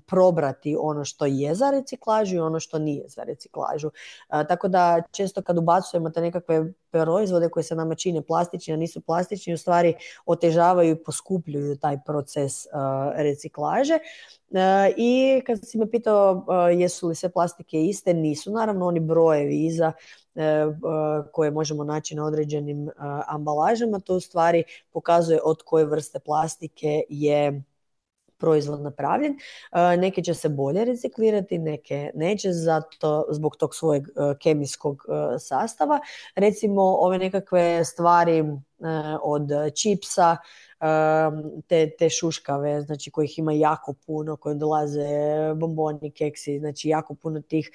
probrati ono što je za reciklažu i ono što nije za reciklažu. Tako da često kad ubacujemo te nekakve proizvode koji se nama čine plastični, a nisu plastični, u stvari otežavaju i poskupljuju taj proces reciklaže. I kad si me pitao jesu li sve plastike iste, nisu. Naravno, oni brojevi iza koje možemo naći na određenim ambalažama, to u stvari pokazuje od koje vrste plastike je proizvod napravljen. Neke će se bolje reciklirati, neke neće zbog tog svojeg kemijskog sastava. Recimo ove nekakve stvari od čipsa, te šuškave, znači kojih ima jako puno, koje dolaze bomboni, keksi, znači jako puno tih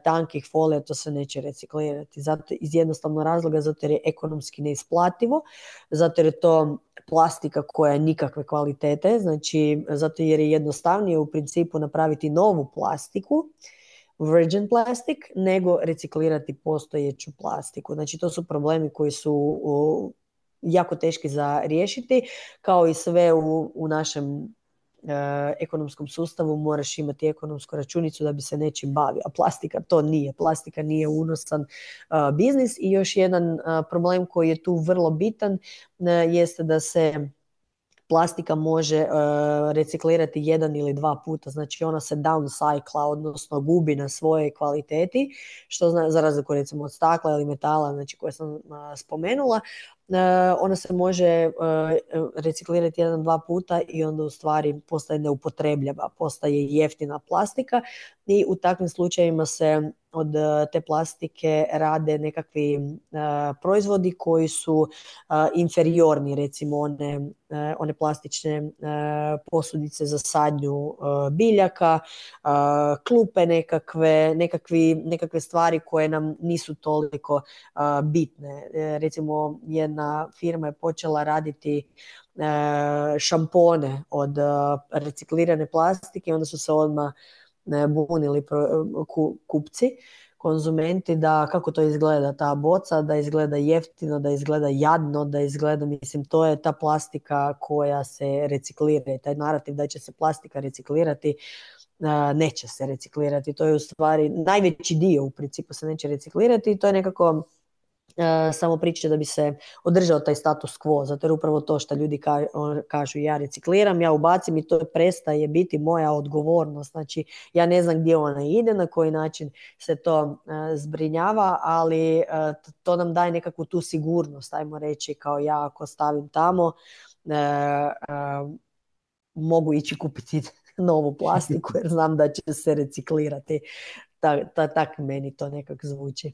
tankih folija, to se neće reciklirati. Zato, iz jednostavnog razloga, zato jer je ekonomski neisplativo, zato jer je to plastika koja je nikakve kvalitete, znači zato jer je jednostavnije u principu napraviti novu plastiku, virgin plastic, nego reciklirati postojeću plastiku. Znači to su problemi koji su jako teški za riješiti, kao i sve u našem ekonomskom sustavu moraš imati ekonomsku računicu da bi se nečim bavio, a plastika to nije. Plastika nije unosan biznis i još jedan problem koji je tu vrlo bitan jeste da se plastika može reciklirati jedan ili dva puta, znači ona se downcycla, odnosno gubi na svojoj kvaliteti, što za razliku recimo od stakla ili metala, znači koje sam spomenula, ona se može reciklirati jedan, dva puta i onda u stvari postaje neupotrebljiva, postaje jeftina plastika i u takvim slučajevima se od te plastike rade nekakvi proizvodi koji su inferiorni, recimo one plastične posudice za sadnju biljaka, klupe nekakve stvari koje nam nisu toliko bitne. Recimo jedna firma je počela raditi šampone od reciklirane plastike, onda su se odmah bunili kupci, konzumenti, da kako to izgleda ta boca, da izgleda jeftino, da izgleda jadno, da izgleda, mislim, to je ta plastika koja se reciklira i taj narativ da će se plastika reciklirati, neće se reciklirati. To je u stvari najveći dio u principu se neće reciklirati i to je nekako samo priča da bi se održao taj status quo, zato jer upravo to što ljudi kažu ja recikliram, ja ubacim i to prestaje biti moja odgovornost, znači ja ne znam gdje ona ide, na koji način se to zbrinjava, ali to nam daje nekakvu tu sigurnost, ajmo reći, kao ja ako stavim tamo mogu ići kupiti novu plastiku jer znam da će se reciklirati. Tak meni to nekako zvuči.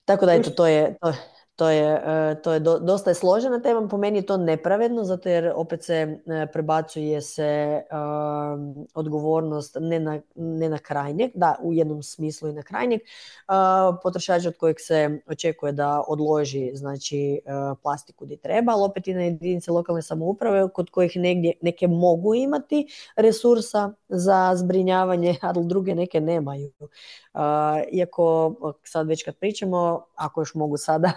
Tako da eto, to je dosta je složena tema, po meni je to nepravedno, zato jer opet se prebacuje se odgovornost ne na krajnjeg, da, u jednom smislu i na krajnjeg potrošača od kojeg se očekuje da odloži, znači, plastiku gdje treba, ali opet i na jedinice lokalne samouprave kod kojih neke mogu imati resursa za zbrinjavanje, ali druge neke nemaju. Iako sad već kad pričamo, ako još mogu sada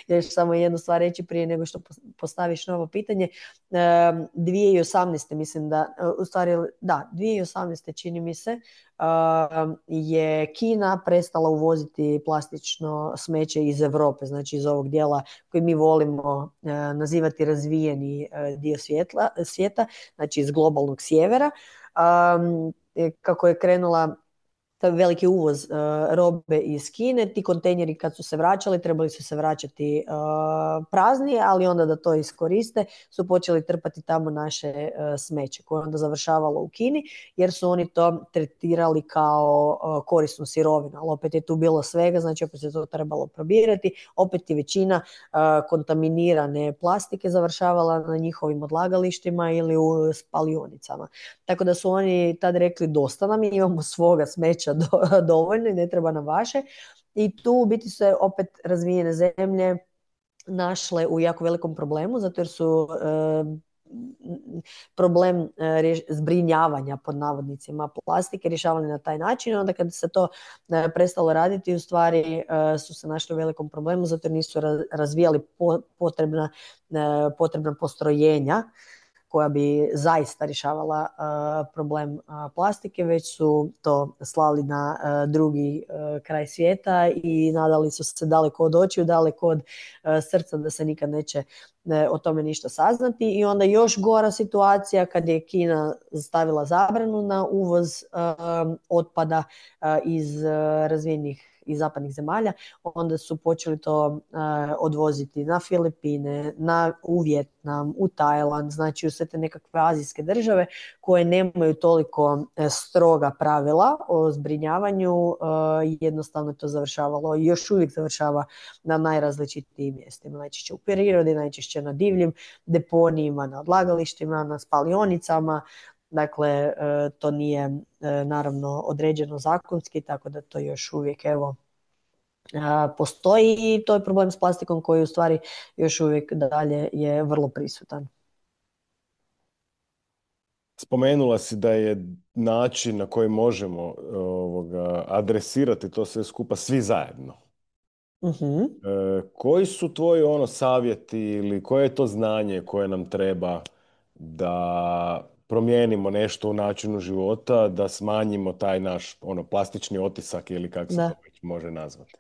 još samo jednu stvar reći prije nego što postaviš novo pitanje, 2018. mislim da, u stvari da, 2018. čini mi se, je Kina prestala uvoziti plastično smeće iz Europe, znači iz ovog dijela koji mi volimo nazivati razvijeni dio svijeta, znači iz globalnog sjevera. Kako je krenula taj veliki uvoz robe iz Kine, ti kontejneri kad su se vraćali, trebali su se vraćati prazni, ali onda da to iskoriste su počeli trpati tamo naše smeće koje onda završavalo u Kini, jer su oni to tretirali kao korisnu sirovinu, ali opet je tu bilo svega, znači opet se to trebalo probirati, opet je većina kontaminirane plastike završavala na njihovim odlagalištima ili u spalionicama. Tako da su oni tad rekli dosta nam, imamo svoga smeća dovoljno i ne treba nam vaše. I tu u biti se opet razvijene zemlje našle u jako velikom problemu, zato jer su problem zbrinjavanja pod navodnicima plastike rješavali na taj način. Onda kad se to prestalo raditi, u stvari su se našli u velikom problemu, zato jer nisu razvijali potrebna postrojenja koja bi zaista rješavala problem plastike, već su to slali na drugi kraj svijeta i nadali su se daleko od očiju, daleko od srca da se nikad neće o tome ništa saznati. I onda još gora situacija kad je Kina stavila zabranu na uvoz otpada iz razvijenih iz zapadnih zemalja, onda su počeli to odvoziti na Filipine, u Vijetnam, u Tajland, znači u sve te nekakve azijske države koje nemaju toliko stroga pravila o zbrinjavanju, jednostavno to završavalo i još uvijek završava na najrazličitijim mjestima. Najčešće u prirodi, najčešće na divljim deponijima, na odlagalištima, na spalionicama. Dakle, to nije naravno određeno zakonski, tako da to još uvijek postoji i to je problem s plastikom koji u stvari još uvijek dalje je vrlo prisutan. Spomenula si da je način na koji možemo adresirati to sve skupa svi zajedno. Mhm. Koji su tvoji savjeti ili koje je to znanje koje nam treba da promijenimo nešto u načinu života, da smanjimo taj naš plastični otisak ili kako se to Da. već može nazvati?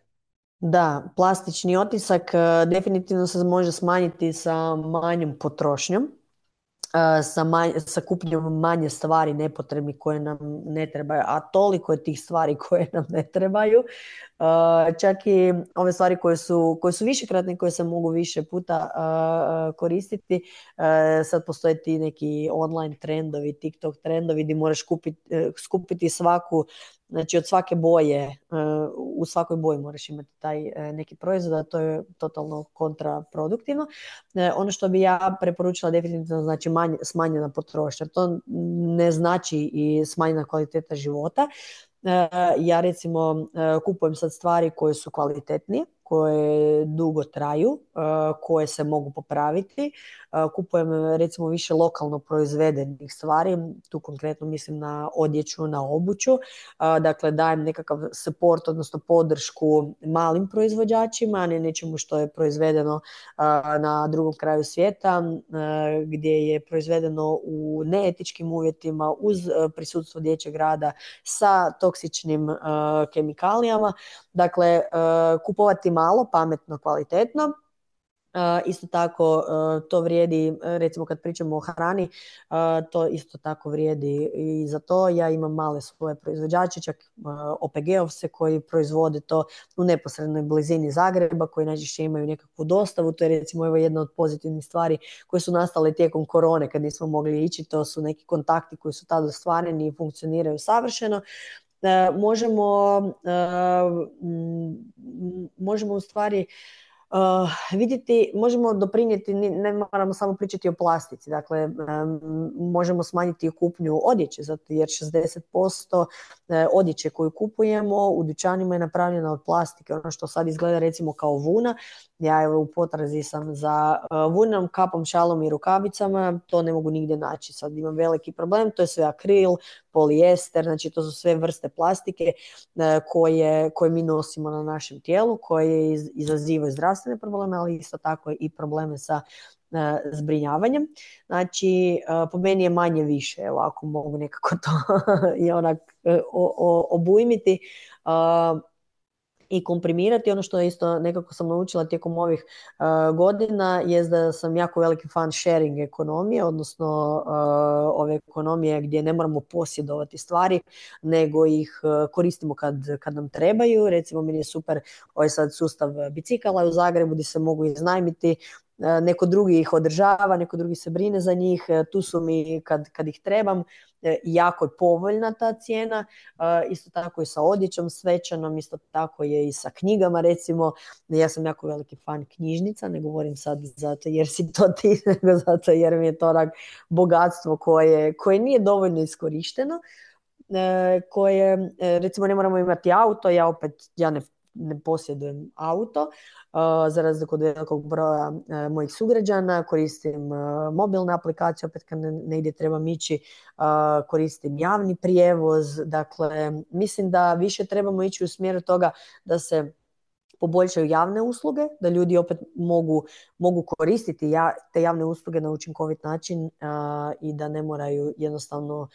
Da, plastični otisak definitivno se može smanjiti sa manjom potrošnjom, sa kupnjom manje stvari nepotrebnih koje nam ne trebaju, a toliko je tih stvari koje nam ne trebaju. Čak i ove stvari koje su višekratne, koje se mogu više puta koristiti. Sad postoje ti neki online trendovi, TikTok trendovi gdje moraš skupiti svaku, znači od svake boje, u svakoj boji moraš imati taj neki proizvod, a to je totalno kontraproduktivno. Ono što bi ja preporučila definitivno znači smanjena potrošnja. To ne znači i smanjena kvaliteta života. Ja recimo kupujem sad stvari koje su kvalitetnije, koje dugo traju, koje se mogu popraviti. Kupujem recimo više lokalno proizvedenih stvari, tu konkretno mislim na odjeću, na obuću. Dakle, dajem nekakav support, odnosno podršku malim proizvođačima, a ne nečemu što je proizvedeno na drugom kraju svijeta, gdje je proizvedeno u neetičkim uvjetima, uz prisustvo dječjeg rada, sa toksičnim kemikalijama. Dakle, kupovati malo, pametno, kvalitetno. Isto tako to vrijedi, recimo kad pričamo o hrani, to isto tako vrijedi i za to. Ja imam male svoje proizvođače, čak OPG-ovce koji proizvode to u neposrednoj blizini Zagreba, koji najčešće imaju nekakvu dostavu. To je recimo jedna od pozitivnih stvari koje su nastale tijekom korone kad nismo mogli ići. To su neki kontakti koji su tada ostvareni i funkcioniraju savršeno. Možemo u stvari vidjeti, možemo doprinijeti, ne moramo samo pričati o plastici, dakle možemo smanjiti kupnju odjeće, zato jer 60% odjeće koju kupujemo u dućanima je napravljena od plastike. Ono što sad izgleda recimo kao vuna, ja evo u potrazi sam za vunom, kapom, šalom i rukavicama, to ne mogu nigdje naći. Sad imam veliki problem, to je sve akril, polijester, znači to su sve vrste plastike koje mi nosimo na našem tijelu, koje izazivaju zdravstvene probleme, ali isto tako i probleme sa zbrinjavanjem. Znači, po meni je manje više, evo, ako mogu nekako to i onak obujmiti i komprimirati. Ono što isto nekako sam naučila tijekom ovih godina je da sam jako veliki fan sharing ekonomije, odnosno ove ekonomije gdje ne moramo posjedovati stvari, nego ih koristimo kad nam trebaju. Recimo, meni je super ovaj sad sustav bicikala u Zagrebu gdje se mogu iznajmiti, neko drugi ih održava, neko drugi se brine za njih, tu su mi kad ih trebam. Jako je povoljna ta cijena, isto tako i sa odjećom svečanom, isto tako je i sa knjigama. Recimo, ja sam jako veliki fan knjižnica, ne govorim sad zato jer si to ti, nego zato jer mi je to onak bogatstvo koje nije dovoljno iskorišteno, koje recimo ne moramo imati auto. Ja ne posjedujem auto, za razliku od velikog broja mojih sugrađana. Koristim mobilne aplikacije, opet kad negdje trebam ići, koristim javni prijevoz. Dakle, mislim da više trebamo ići u smjeru toga da se poboljšaju javne usluge, da ljudi opet mogu koristiti te javne usluge na učinkovit način i da ne moraju jednostavno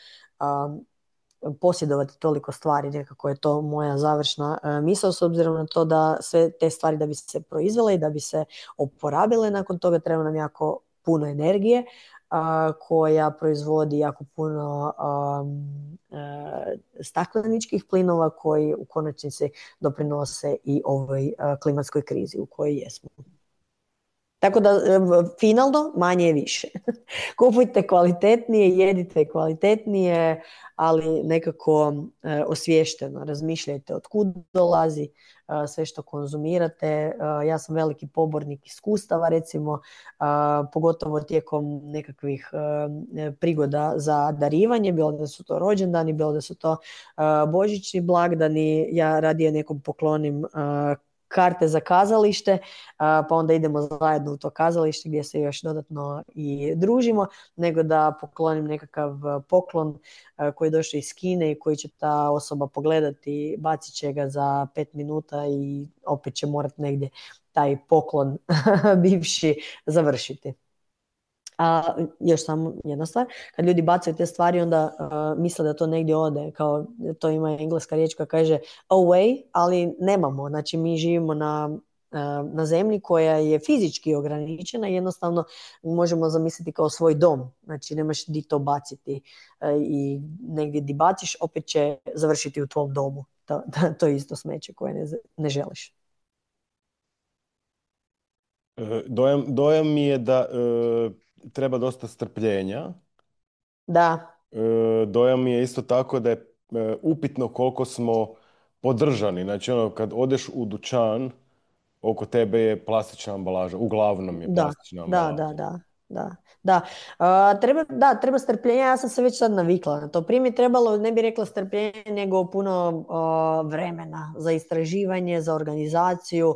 posjedovati toliko stvari. Nekako je to moja završna misao, s obzirom na to da sve te stvari da bi se proizvele i da bi se oporabile, nakon toga treba nam jako puno energije koja proizvodi jako puno stakleničkih plinova koji u konačnici doprinose i ovoj klimatskoj krizi u kojoj jesmo. Tako da, finalno, manje je više. Kupujte kvalitetnije, jedite kvalitetnije, ali nekako osviješteno. Razmišljajte od kud dolazi sve što konzumirate. Ja sam veliki pobornik iskustava, recimo, pogotovo tijekom nekakvih prigoda za darivanje, bilo da su to rođendani, bilo da su to božićni blagdani. Ja radije nekom poklonim karte za kazalište, pa onda idemo zajedno u to kazalište gdje se još dodatno i družimo, nego da poklonim nekakav poklon koji je došao iz Kine i koji će ta osoba pogledati, bacit će ga za 5 minuta i opet će morati negdje taj poklon bivši završiti. A još samo jedna stvar, kad ljudi bacaju te stvari, onda misle da to negdje ode, kao to ima engleska riječ koja kaže away, ali nemamo. Znači mi živimo na zemlji koja je fizički ograničena i jednostavno možemo zamisliti kao svoj dom. Znači nemaš di to baciti i negdje di baciš opet će završiti u tvom domu. To je isto smeće koje ne želiš. Dojam mi je da treba dosta strpljenja. Da. Dojam mi je isto tako da je upitno koliko smo podržani. Znači, ono, kad odeš u dućan, oko tebe je plastična ambalaža. Uglavnom je Da, plastična da, ambalaža. da, da, da, da. Treba strpljenja, ja sam se već sad navikla na to. Prije mi je trebalo, ne bi rekla strpljenje, nego puno vremena za istraživanje, za organizaciju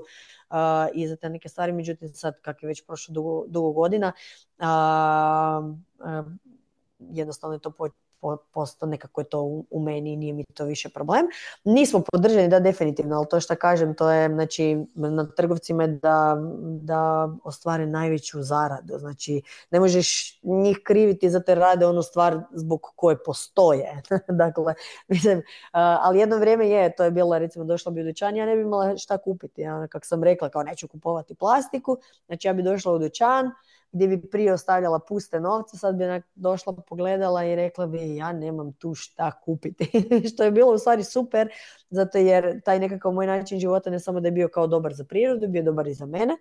i za te neke stvari. Međutim, sad kak je već prošlo dugo godina, jednostavno je to posto nekako je to u meni i nije mi to više problem. Nismo podržani, da, definitivno, ali to što kažem, to je, znači, na trgovcima je da ostvare najveću zaradu. Znači, ne možeš njih kriviti za te rade onu stvar zbog koje postoje. Dakle, mislim, ali jedno vrijeme to je bilo, recimo, došla bi u dućan, ja ne bi imala šta kupiti. Ja, kako sam rekla, kao neću kupovati plastiku, znači ja bi došla u dućan, gdje bi prije ostavljala puste novce, sad bi došla, pogledala i rekla bi ja nemam tu šta kupiti. Što je bilo u stvari super, zato jer taj nekakav moj način života ne samo da je bio kao dobar za prirodu, bio je dobar i za mene,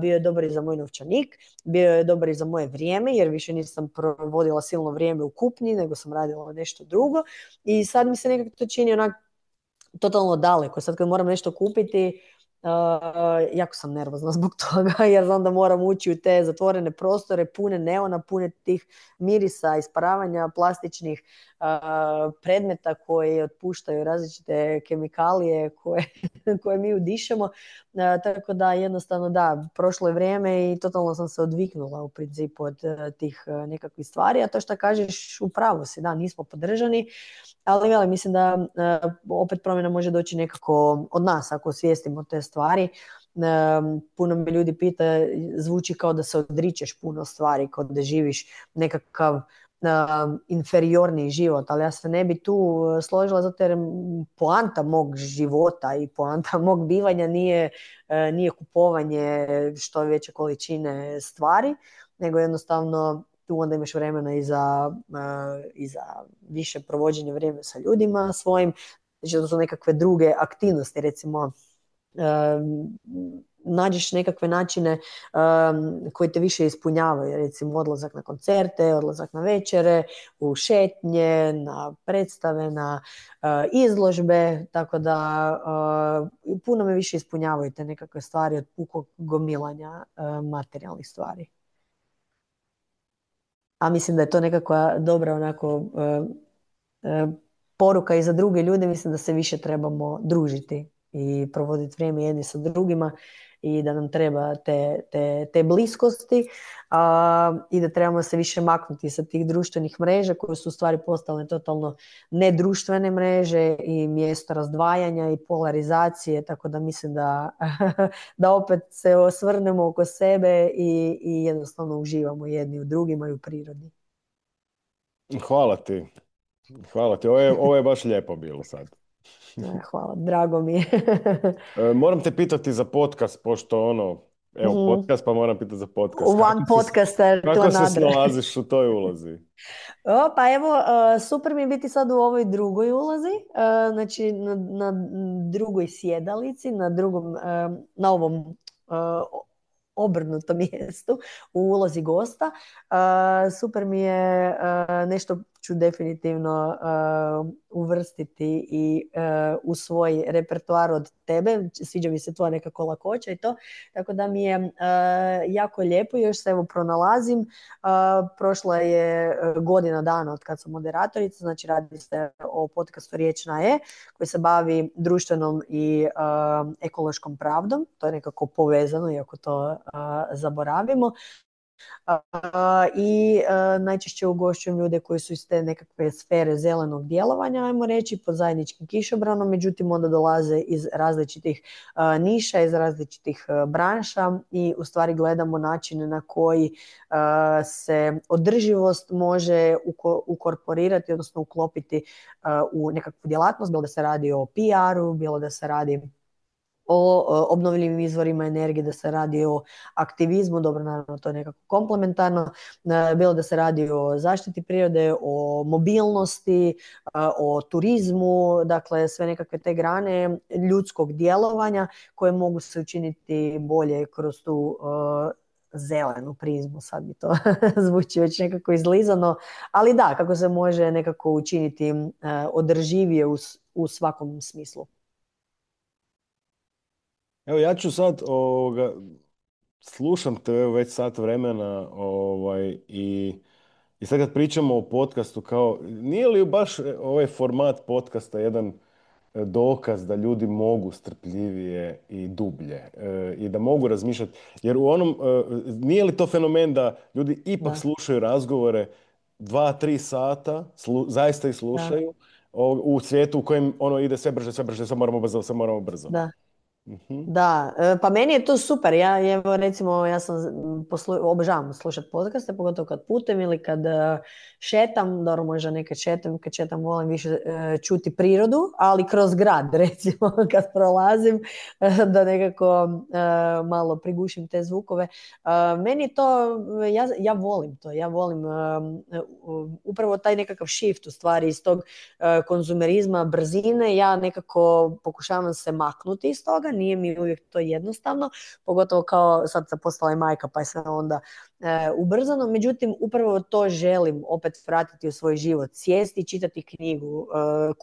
bio je dobar i za moj novčanik, bio je dobar i za moje vrijeme, jer više nisam provodila silno vrijeme u kupnji, nego sam radila nešto drugo. I sad mi se nekako to čini onak totalno daleko. Sad kad moram nešto kupiti, jako sam nervozna zbog toga jer znam da moram ući u te zatvorene prostore pune neona, pune tih mirisa, isparavanja plastičnih predmeta koji otpuštaju različite kemikalije koje mi udišemo. Tako da jednostavno da, prošlo je vrijeme i totalno sam se odviknula u principu od tih nekakvih stvari, a to što kažeš u pravu si, da, nismo podržani, ali mislim da opet promjena može doći nekako od nas ako osvijestimo te stvari. Puno me ljudi pita, zvuči kao da se odričeš puno stvari, kao da živiš nekakav inferiorni život, ali ja se ne bi tu složila zato jer poanta mog života i poanta mog bivanja nije kupovanje što veće količine stvari, nego jednostavno tu onda imaš vremena i za više provođenje vremena sa ljudima svojim, znači to su nekakve druge aktivnosti, recimo nađeš nekakve načine koji te više ispunjavaju, recimo odlazak na koncerte, odlazak na večere, u šetnje, na predstave, na izložbe, tako da puno me više ispunjavaju te nekakve stvari od pukog gomilanja materijalnih stvari. A mislim da je to nekakva dobra onako poruka i za druge ljude, mislim da se više trebamo družiti i provoditi vrijeme jedni sa drugima i da nam treba te bliskosti i da trebamo se više maknuti sa tih društvenih mreža koje su u stvari postale totalno nedruštvene mreže i mjesto razdvajanja i polarizacije, tako da mislim da opet se osvrnemo oko sebe i jednostavno uživamo jedni u drugima i u prirodi. Hvala ti. Hvala ti. Ovo je baš lijepo bilo sad. Hvala, drago mi je. Moram te pitati za podcast, pošto ono, Evo, Mhm. podcast, pa moram pitati za podcast. One podcaster to Kako se another. snalaziš u toj ulozi? Pa evo, super mi je biti sad u ovoj drugoj ulozi, znači na drugoj sjedalici, na ovom obrnutom mjestu u ulozi gosta. Super mi je, nešto ću definitivno uvrstiti i u svoj repertoar od tebe. Sviđa mi se tvoja nekako lakoća i to. Tako da mi je jako lijepo, još se evo pronalazim. Prošla je godina dana od kad sam moderatorica, znači radi se o podcastu Riječ na E, koji se bavi društvenom i ekološkom pravdom. To je nekako povezano, iako to zaboravimo. I najčešće ugošćujem ljude koji su iz te nekakve sfere zelenog djelovanja, ajmo reći, pod zajedničkim kišobranom, međutim onda dolaze iz različitih niša, iz različitih branša i u stvari gledamo načine na koji se održivost može ukorporirati, odnosno uklopiti u nekakvu djelatnost, bilo da se radi o PR-u, bilo da se radi o obnovljivim izvorima energije, da se radi o aktivizmu, dobro, naravno to je nekako komplementarno, bilo da se radi o zaštiti prirode, o mobilnosti, o turizmu, dakle sve nekakve te grane ljudskog djelovanja koje mogu se učiniti bolje kroz tu zelenu prizmu, sad mi to zvuči već nekako izlizano, ali da, kako se može nekako učiniti održivije u svakom smislu. Evo, ja ću sad, slušam te evo, već sat vremena, i sad kad pričamo o podcastu, kao, nije li baš ovaj format podcasta jedan dokaz da ljudi mogu strpljivije i dublje i da mogu razmišljati, jer u onom, nije li to fenomen da ljudi ipak Da, slušaju razgovore 2-3 sata, zaista ih da, slušaju, u svijetu u kojem ono ide sve brže, sve brže, sve moramo brzo, sve moramo brzo. da. Mhm. Da, pa meni je to super. Ja evo recimo ja sam obožavam slušati podcaste, pogotovo kad putem ili kad šetam, dobro možda nekad šetam, kad šetam volim više čuti prirodu, ali kroz grad recimo kad prolazim da nekako malo prigušim te zvukove. Meni je to, ja volim to, ja volim upravo taj nekakav shift u stvari iz tog konzumerizma, brzine, ja nekako pokušavam se maknuti iz toga, nije mi uvijek to jednostavno, pogotovo kao sad sam postala i majka pa je sve onda ubrzano, međutim upravo to želim opet vratiti u svoj život, sjesti, čitati knjigu,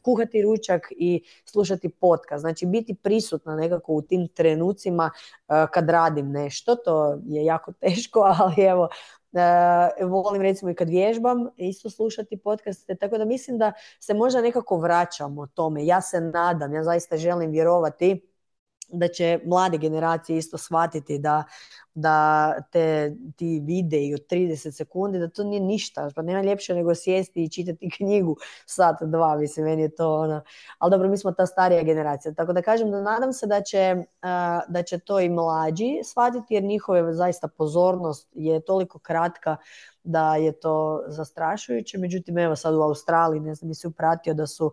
kuhati ručak i slušati podcast, znači biti prisutna nekako u tim trenucima kad radim nešto, to je jako teško, ali evo, volim recimo i kad vježbam isto slušati podcaste, tako da mislim da se možda nekako vraćamo tome. Ja se nadam, ja zaista želim vjerovati da će mlade generacije isto shvatiti da ti videi od 30 sekundi, da to nije ništa, pa nema ljepše nego sjesti i čitati knjigu sat, dva, mislim, meni je to ono, ali dobro, mi smo ta starija generacija, tako da kažem da nadam se da će to i mlađi shvatiti, jer njihova zaista pozornost je toliko kratka da je to zastrašujuće. Međutim, evo sad u Australiji, ne znam, nisi upratio da su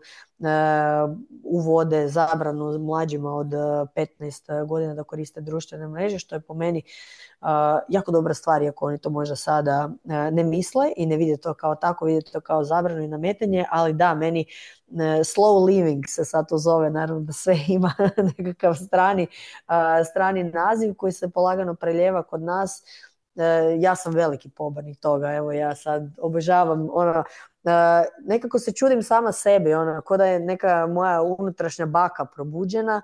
uvode zabranu mlađima od 15 godina da koriste društvene mreže, što je po meni jako dobra stvar, iako oni to možda sada ne misle i ne vide to kao tako, vide to kao zabranu i nametanje, ali da, meni slow living se sad to zove, naravno da sve ima nekakav strani naziv koji se polagano preljeva kod nas. Ja sam veliki pobornik toga, evo ja sad obožavam ono, nekako se čudim sama sebi, ono, ko da je neka moja unutrašnja baka probuđena.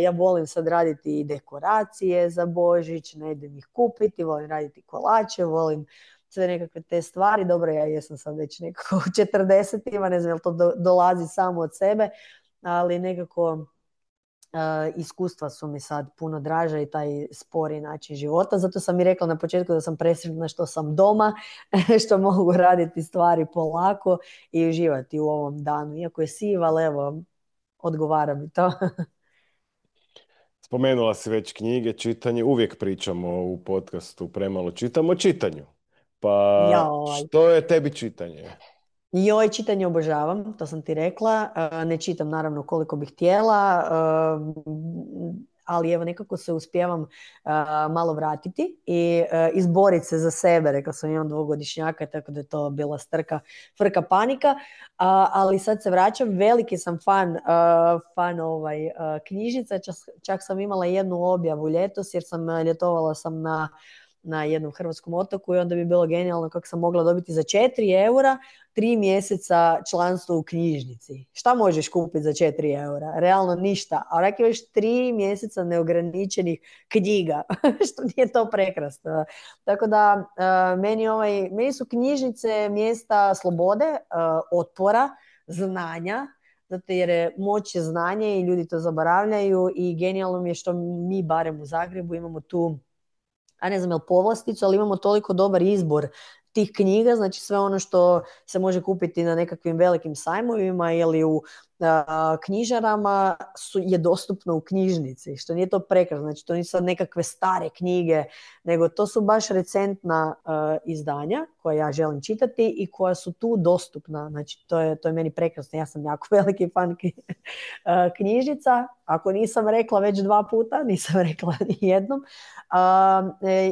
Ja volim sad raditi i dekoracije za Božić, ne idem ih kupiti, volim raditi kolače, volim sve nekakve te stvari. Dobro, ja jesam sad već nekako u 40-ima, ne znam jel to dolazi samo od sebe, ali nekako iskustva su mi sad puno draža i taj spori način života. Zato sam i rekla na početku da sam presretna što sam doma, što mogu raditi stvari polako i uživati u ovom danu. Iako je siv, ali evo, odgovara mi to. Spomenula si već knjige, čitanje, uvijek pričamo u podcastu Premalo čitamo o čitanju. Pa Joj. što je tebi čitanje? Joj, čitanje obožavam, to sam ti rekla. Ne čitam naravno koliko bih htjela. ali evo nekako se uspijevam malo vratiti i izboriti se za sebe. Rekla sam, imam dvogodišnjaka, tako da je to bila strka, frka, panika, ali sad se vraćam. Veliki sam fan knjižnica, čak sam imala jednu objavu ljetos jer ljetovala sam na jednom hrvatskom otoku i onda bi bilo genijalno kako sam mogla dobiti za 4 eura 3 mjeseca članstvo u knjižnici. Šta možeš kupiti za 4 eura? Realno ništa. A onak imaš 3 mjeseca neograničenih knjiga. Što nije to prekrasno. Tako da meni su knjižnice mjesta slobode, otpora, znanja, zato jer je moć je znanje i ljudi to zaboravljaju i genijalno mi je što mi barem u Zagrebu imamo tu, a ne znam je li povlasticu, ali imamo toliko dobar izbor tih knjiga, znači sve ono što se može kupiti na nekakvim velikim sajmovima ili u knjižarama je dostupno u knjižnici, što nije to prekrasno, znači to nisu sad nekakve stare knjige, nego to su baš recentna izdanja koja ja želim čitati i koja su tu dostupna, znači to je meni prekrasno, ja sam jako veliki fan knjižnica, ako nisam rekla već 2 puta, nisam rekla ni jednom.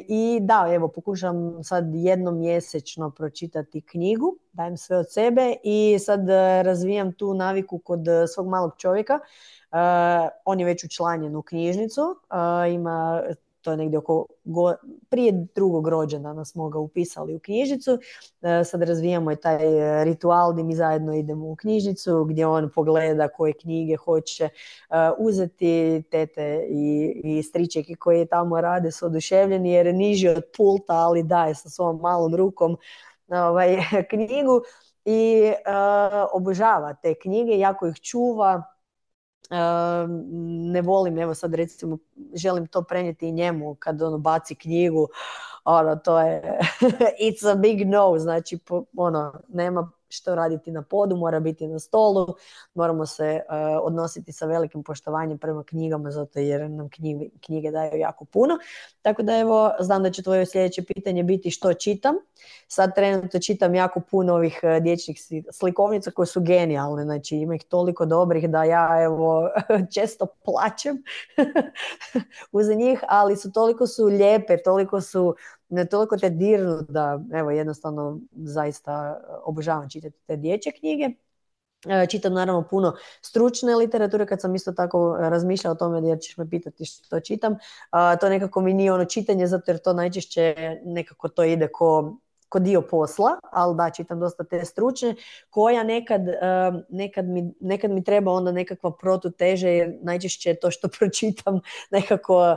I da, evo, pokušam sad jednom mjesečno pročitati knjigu, dajem sve od sebe i sad razvijam tu naviku kod svog malog čovjeka. On je već učlanjen u knjižnicu, to je negdje prije 2. rođendana smo ga upisali u knjižnicu. Sad razvijamo i taj ritual gdje mi zajedno idemo u knjižnicu gdje on pogleda koje knjige hoće uzeti. Tete i stričeki koji tamo rade su oduševljeni jer je niži od pulta, ali daje sa svom malom rukom knjigu i obožava te knjige, jako ih čuva. Ne volim, evo sad recimo želim to prenijeti i njemu kad ono baci knjigu, to je it's a big no, znači nema što raditi na podu, mora biti na stolu, moramo se odnositi sa velikim poštovanjem prema knjigama zato jer nam knjige daju jako puno. Tako da evo, znam da će tvoje sljedeće pitanje biti što čitam. Sad trenutno čitam jako puno ovih dječjih slikovnica koje su genijalne, znači ima ih toliko dobrih da ja evo često plačem uz njih, ali toliko su lijepe, toliko te dirnu da evo jednostavno zaista obožavam čitati te dječje knjige. Čitam naravno puno stručne literature, kad sam isto tako razmišljala o tome jer ćeš me pitati što čitam. To nekako mi nije ono čitanje zato jer to najčešće nekako to ide ko dio posla, ali da, čitam dosta te stručne, koja nekad mi treba onda nekakva protuteže jer najčešće to što pročitam nekako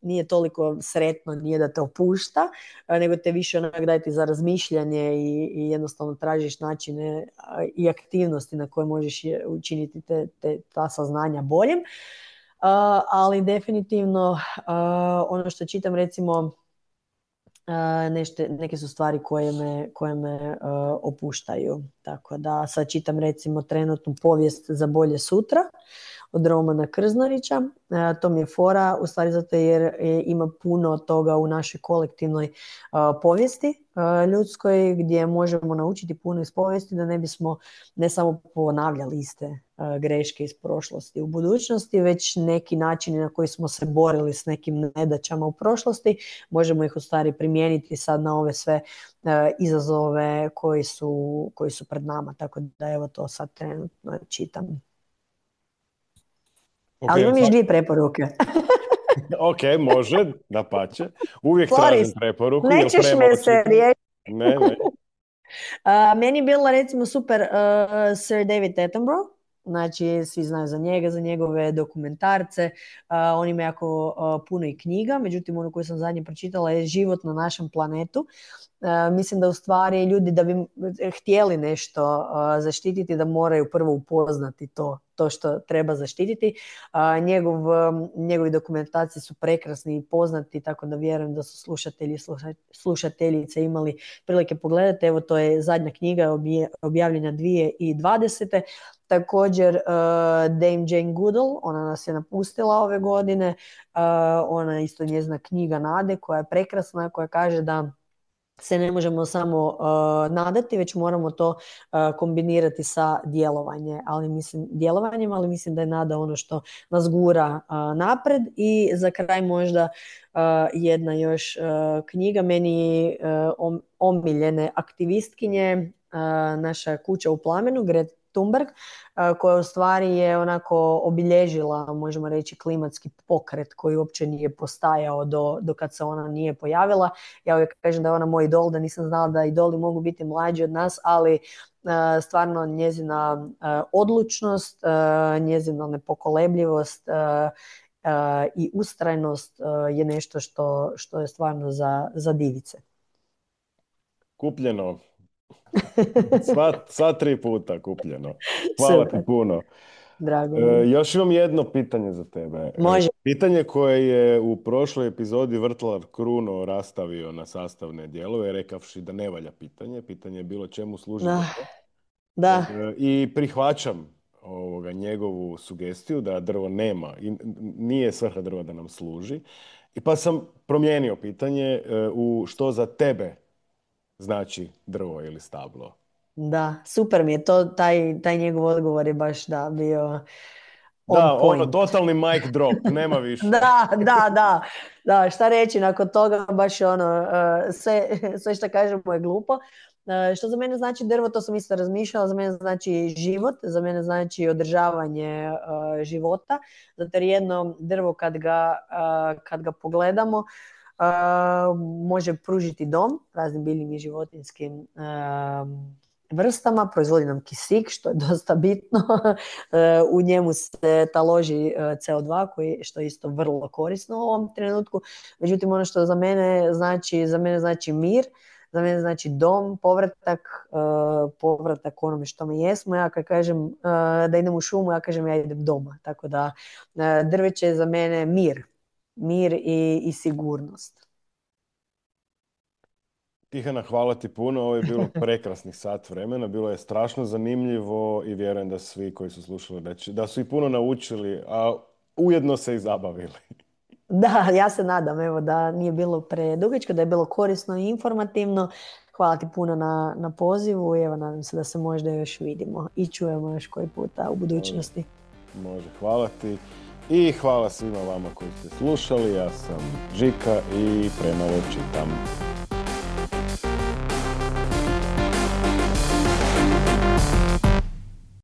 nije toliko sretno, nije da te opušta, nego te više onak daje ti za razmišljanje i jednostavno tražiš načine i aktivnosti na koje možeš učiniti ta saznanja boljim. Ali definitivno ono što čitam recimo neke su stvari koje me opuštaju. Tako da sad čitam recimo trenutnu povijest za bolje sutra od Romana Krznarića. To mi je fora, u stvari zato jer ima puno toga u našoj kolektivnoj povijesti ljudskoj gdje možemo naučiti puno iz povijesti da ne bismo ne samo ponavljali iste greške iz prošlosti u budućnosti, već neki načini na koji smo se borili s nekim nedaćama u prošlosti, možemo ih u stvari primijeniti sad na ove sve izazove koji su pred nama. Tako da evo to sad trenutno čitam. Okay, ali imam još 2 preporuke. Ok, može, dapače. Uvijek tražim preporuku. Nećeš me se riješiti. Ne. Meni je bila recimo super Sir David Attenborough. Znači, svi znaju za njega, za njegove dokumentarce. On ima jako puno i knjiga. Međutim, ono koju sam zadnje pročitala je Život na našem planetu. Mislim da u stvari ljudi da bi htjeli nešto zaštititi da moraju prvo upoznati to što treba zaštititi. Njegovi dokumentacije su prekrasni i poznati, tako da vjerujem da su slušatelji i slušateljice imali prilike pogledati. Evo, to je zadnja knjiga objavljena 2020. Također Dame Jane Goodall, ona nas je napustila ove godine. Ona je isto njezina knjiga Nade koja je prekrasna, koja kaže da se ne možemo samo nadati, već moramo to kombinirati sa djelovanjem, ali mislim da je nada ono što nas gura napred. I za kraj možda jedna još knjiga meni omiljene aktivistkinje, naša kuća u plamenu, Greta Thunberg, koja u stvari je onako obilježila, možemo reći, klimatski pokret koji uopće nije postajao do kad se ona nije pojavila. Ja uvijek kažem da je ona moj idol, da nisam znala da idoli mogu biti mlađi od nas, ali stvarno njezina odlučnost, njezina nepokolebljivost i ustrajnost je nešto što je stvarno za divice. Kupljeno. Sva 3 puta kupljeno. Hvala ti Super, puno. drago mi je. Još imam jedno pitanje za tebe. Može. Pitanje koje je u prošloj epizodi Vrtlar Kruno rastavio na sastavne dijelove, rekavši da ne valja pitanje. Pitanje je bilo čemu služi drvo. Da. I prihvaćam njegovu sugestiju da drvo nema i nije svrha drva da nam služi. I pa sam promijenio pitanje u što za tebe znači drvo ili stablo. Da, super mi je to, taj njegov odgovor je baš bio on Da, point. totalni mic drop, nema više. Da, šta reći nakon toga, baš sve što kažemo je glupo. Što za mene znači drvo, to sam isto razmišljala, za mene znači život, za mene znači održavanje života, zato jer jedno drvo kad ga pogledamo, može pružiti dom raznim biljnim i životinjskim vrstama, proizvodi nam kisik, što je dosta bitno. U njemu se taloži CO2, što je isto vrlo korisno u ovom trenutku. Međutim, ono što za mene znači mir, za mene znači dom, povratak onome što mi jesmo. Ja kad kažem da idem u šumu, ja kažem ja idem doma. Tako da drveće je za mene mir i sigurnost. Tihana, hvala ti puno. Ovo je bilo prekrasnih sat vremena. Bilo je strašno zanimljivo i vjerujem da svi koji su slušali da su i puno naučili, a ujedno se i zabavili. Da, ja se nadam da nije bilo predugačko, da je bilo korisno i informativno. Hvala ti puno na pozivu i nadam se da se možda još vidimo i čujemo još koji puta u budućnosti. Može, hvala ti. I hvala svima vama koji ste slušali. Ja sam Žika i premalo čitam.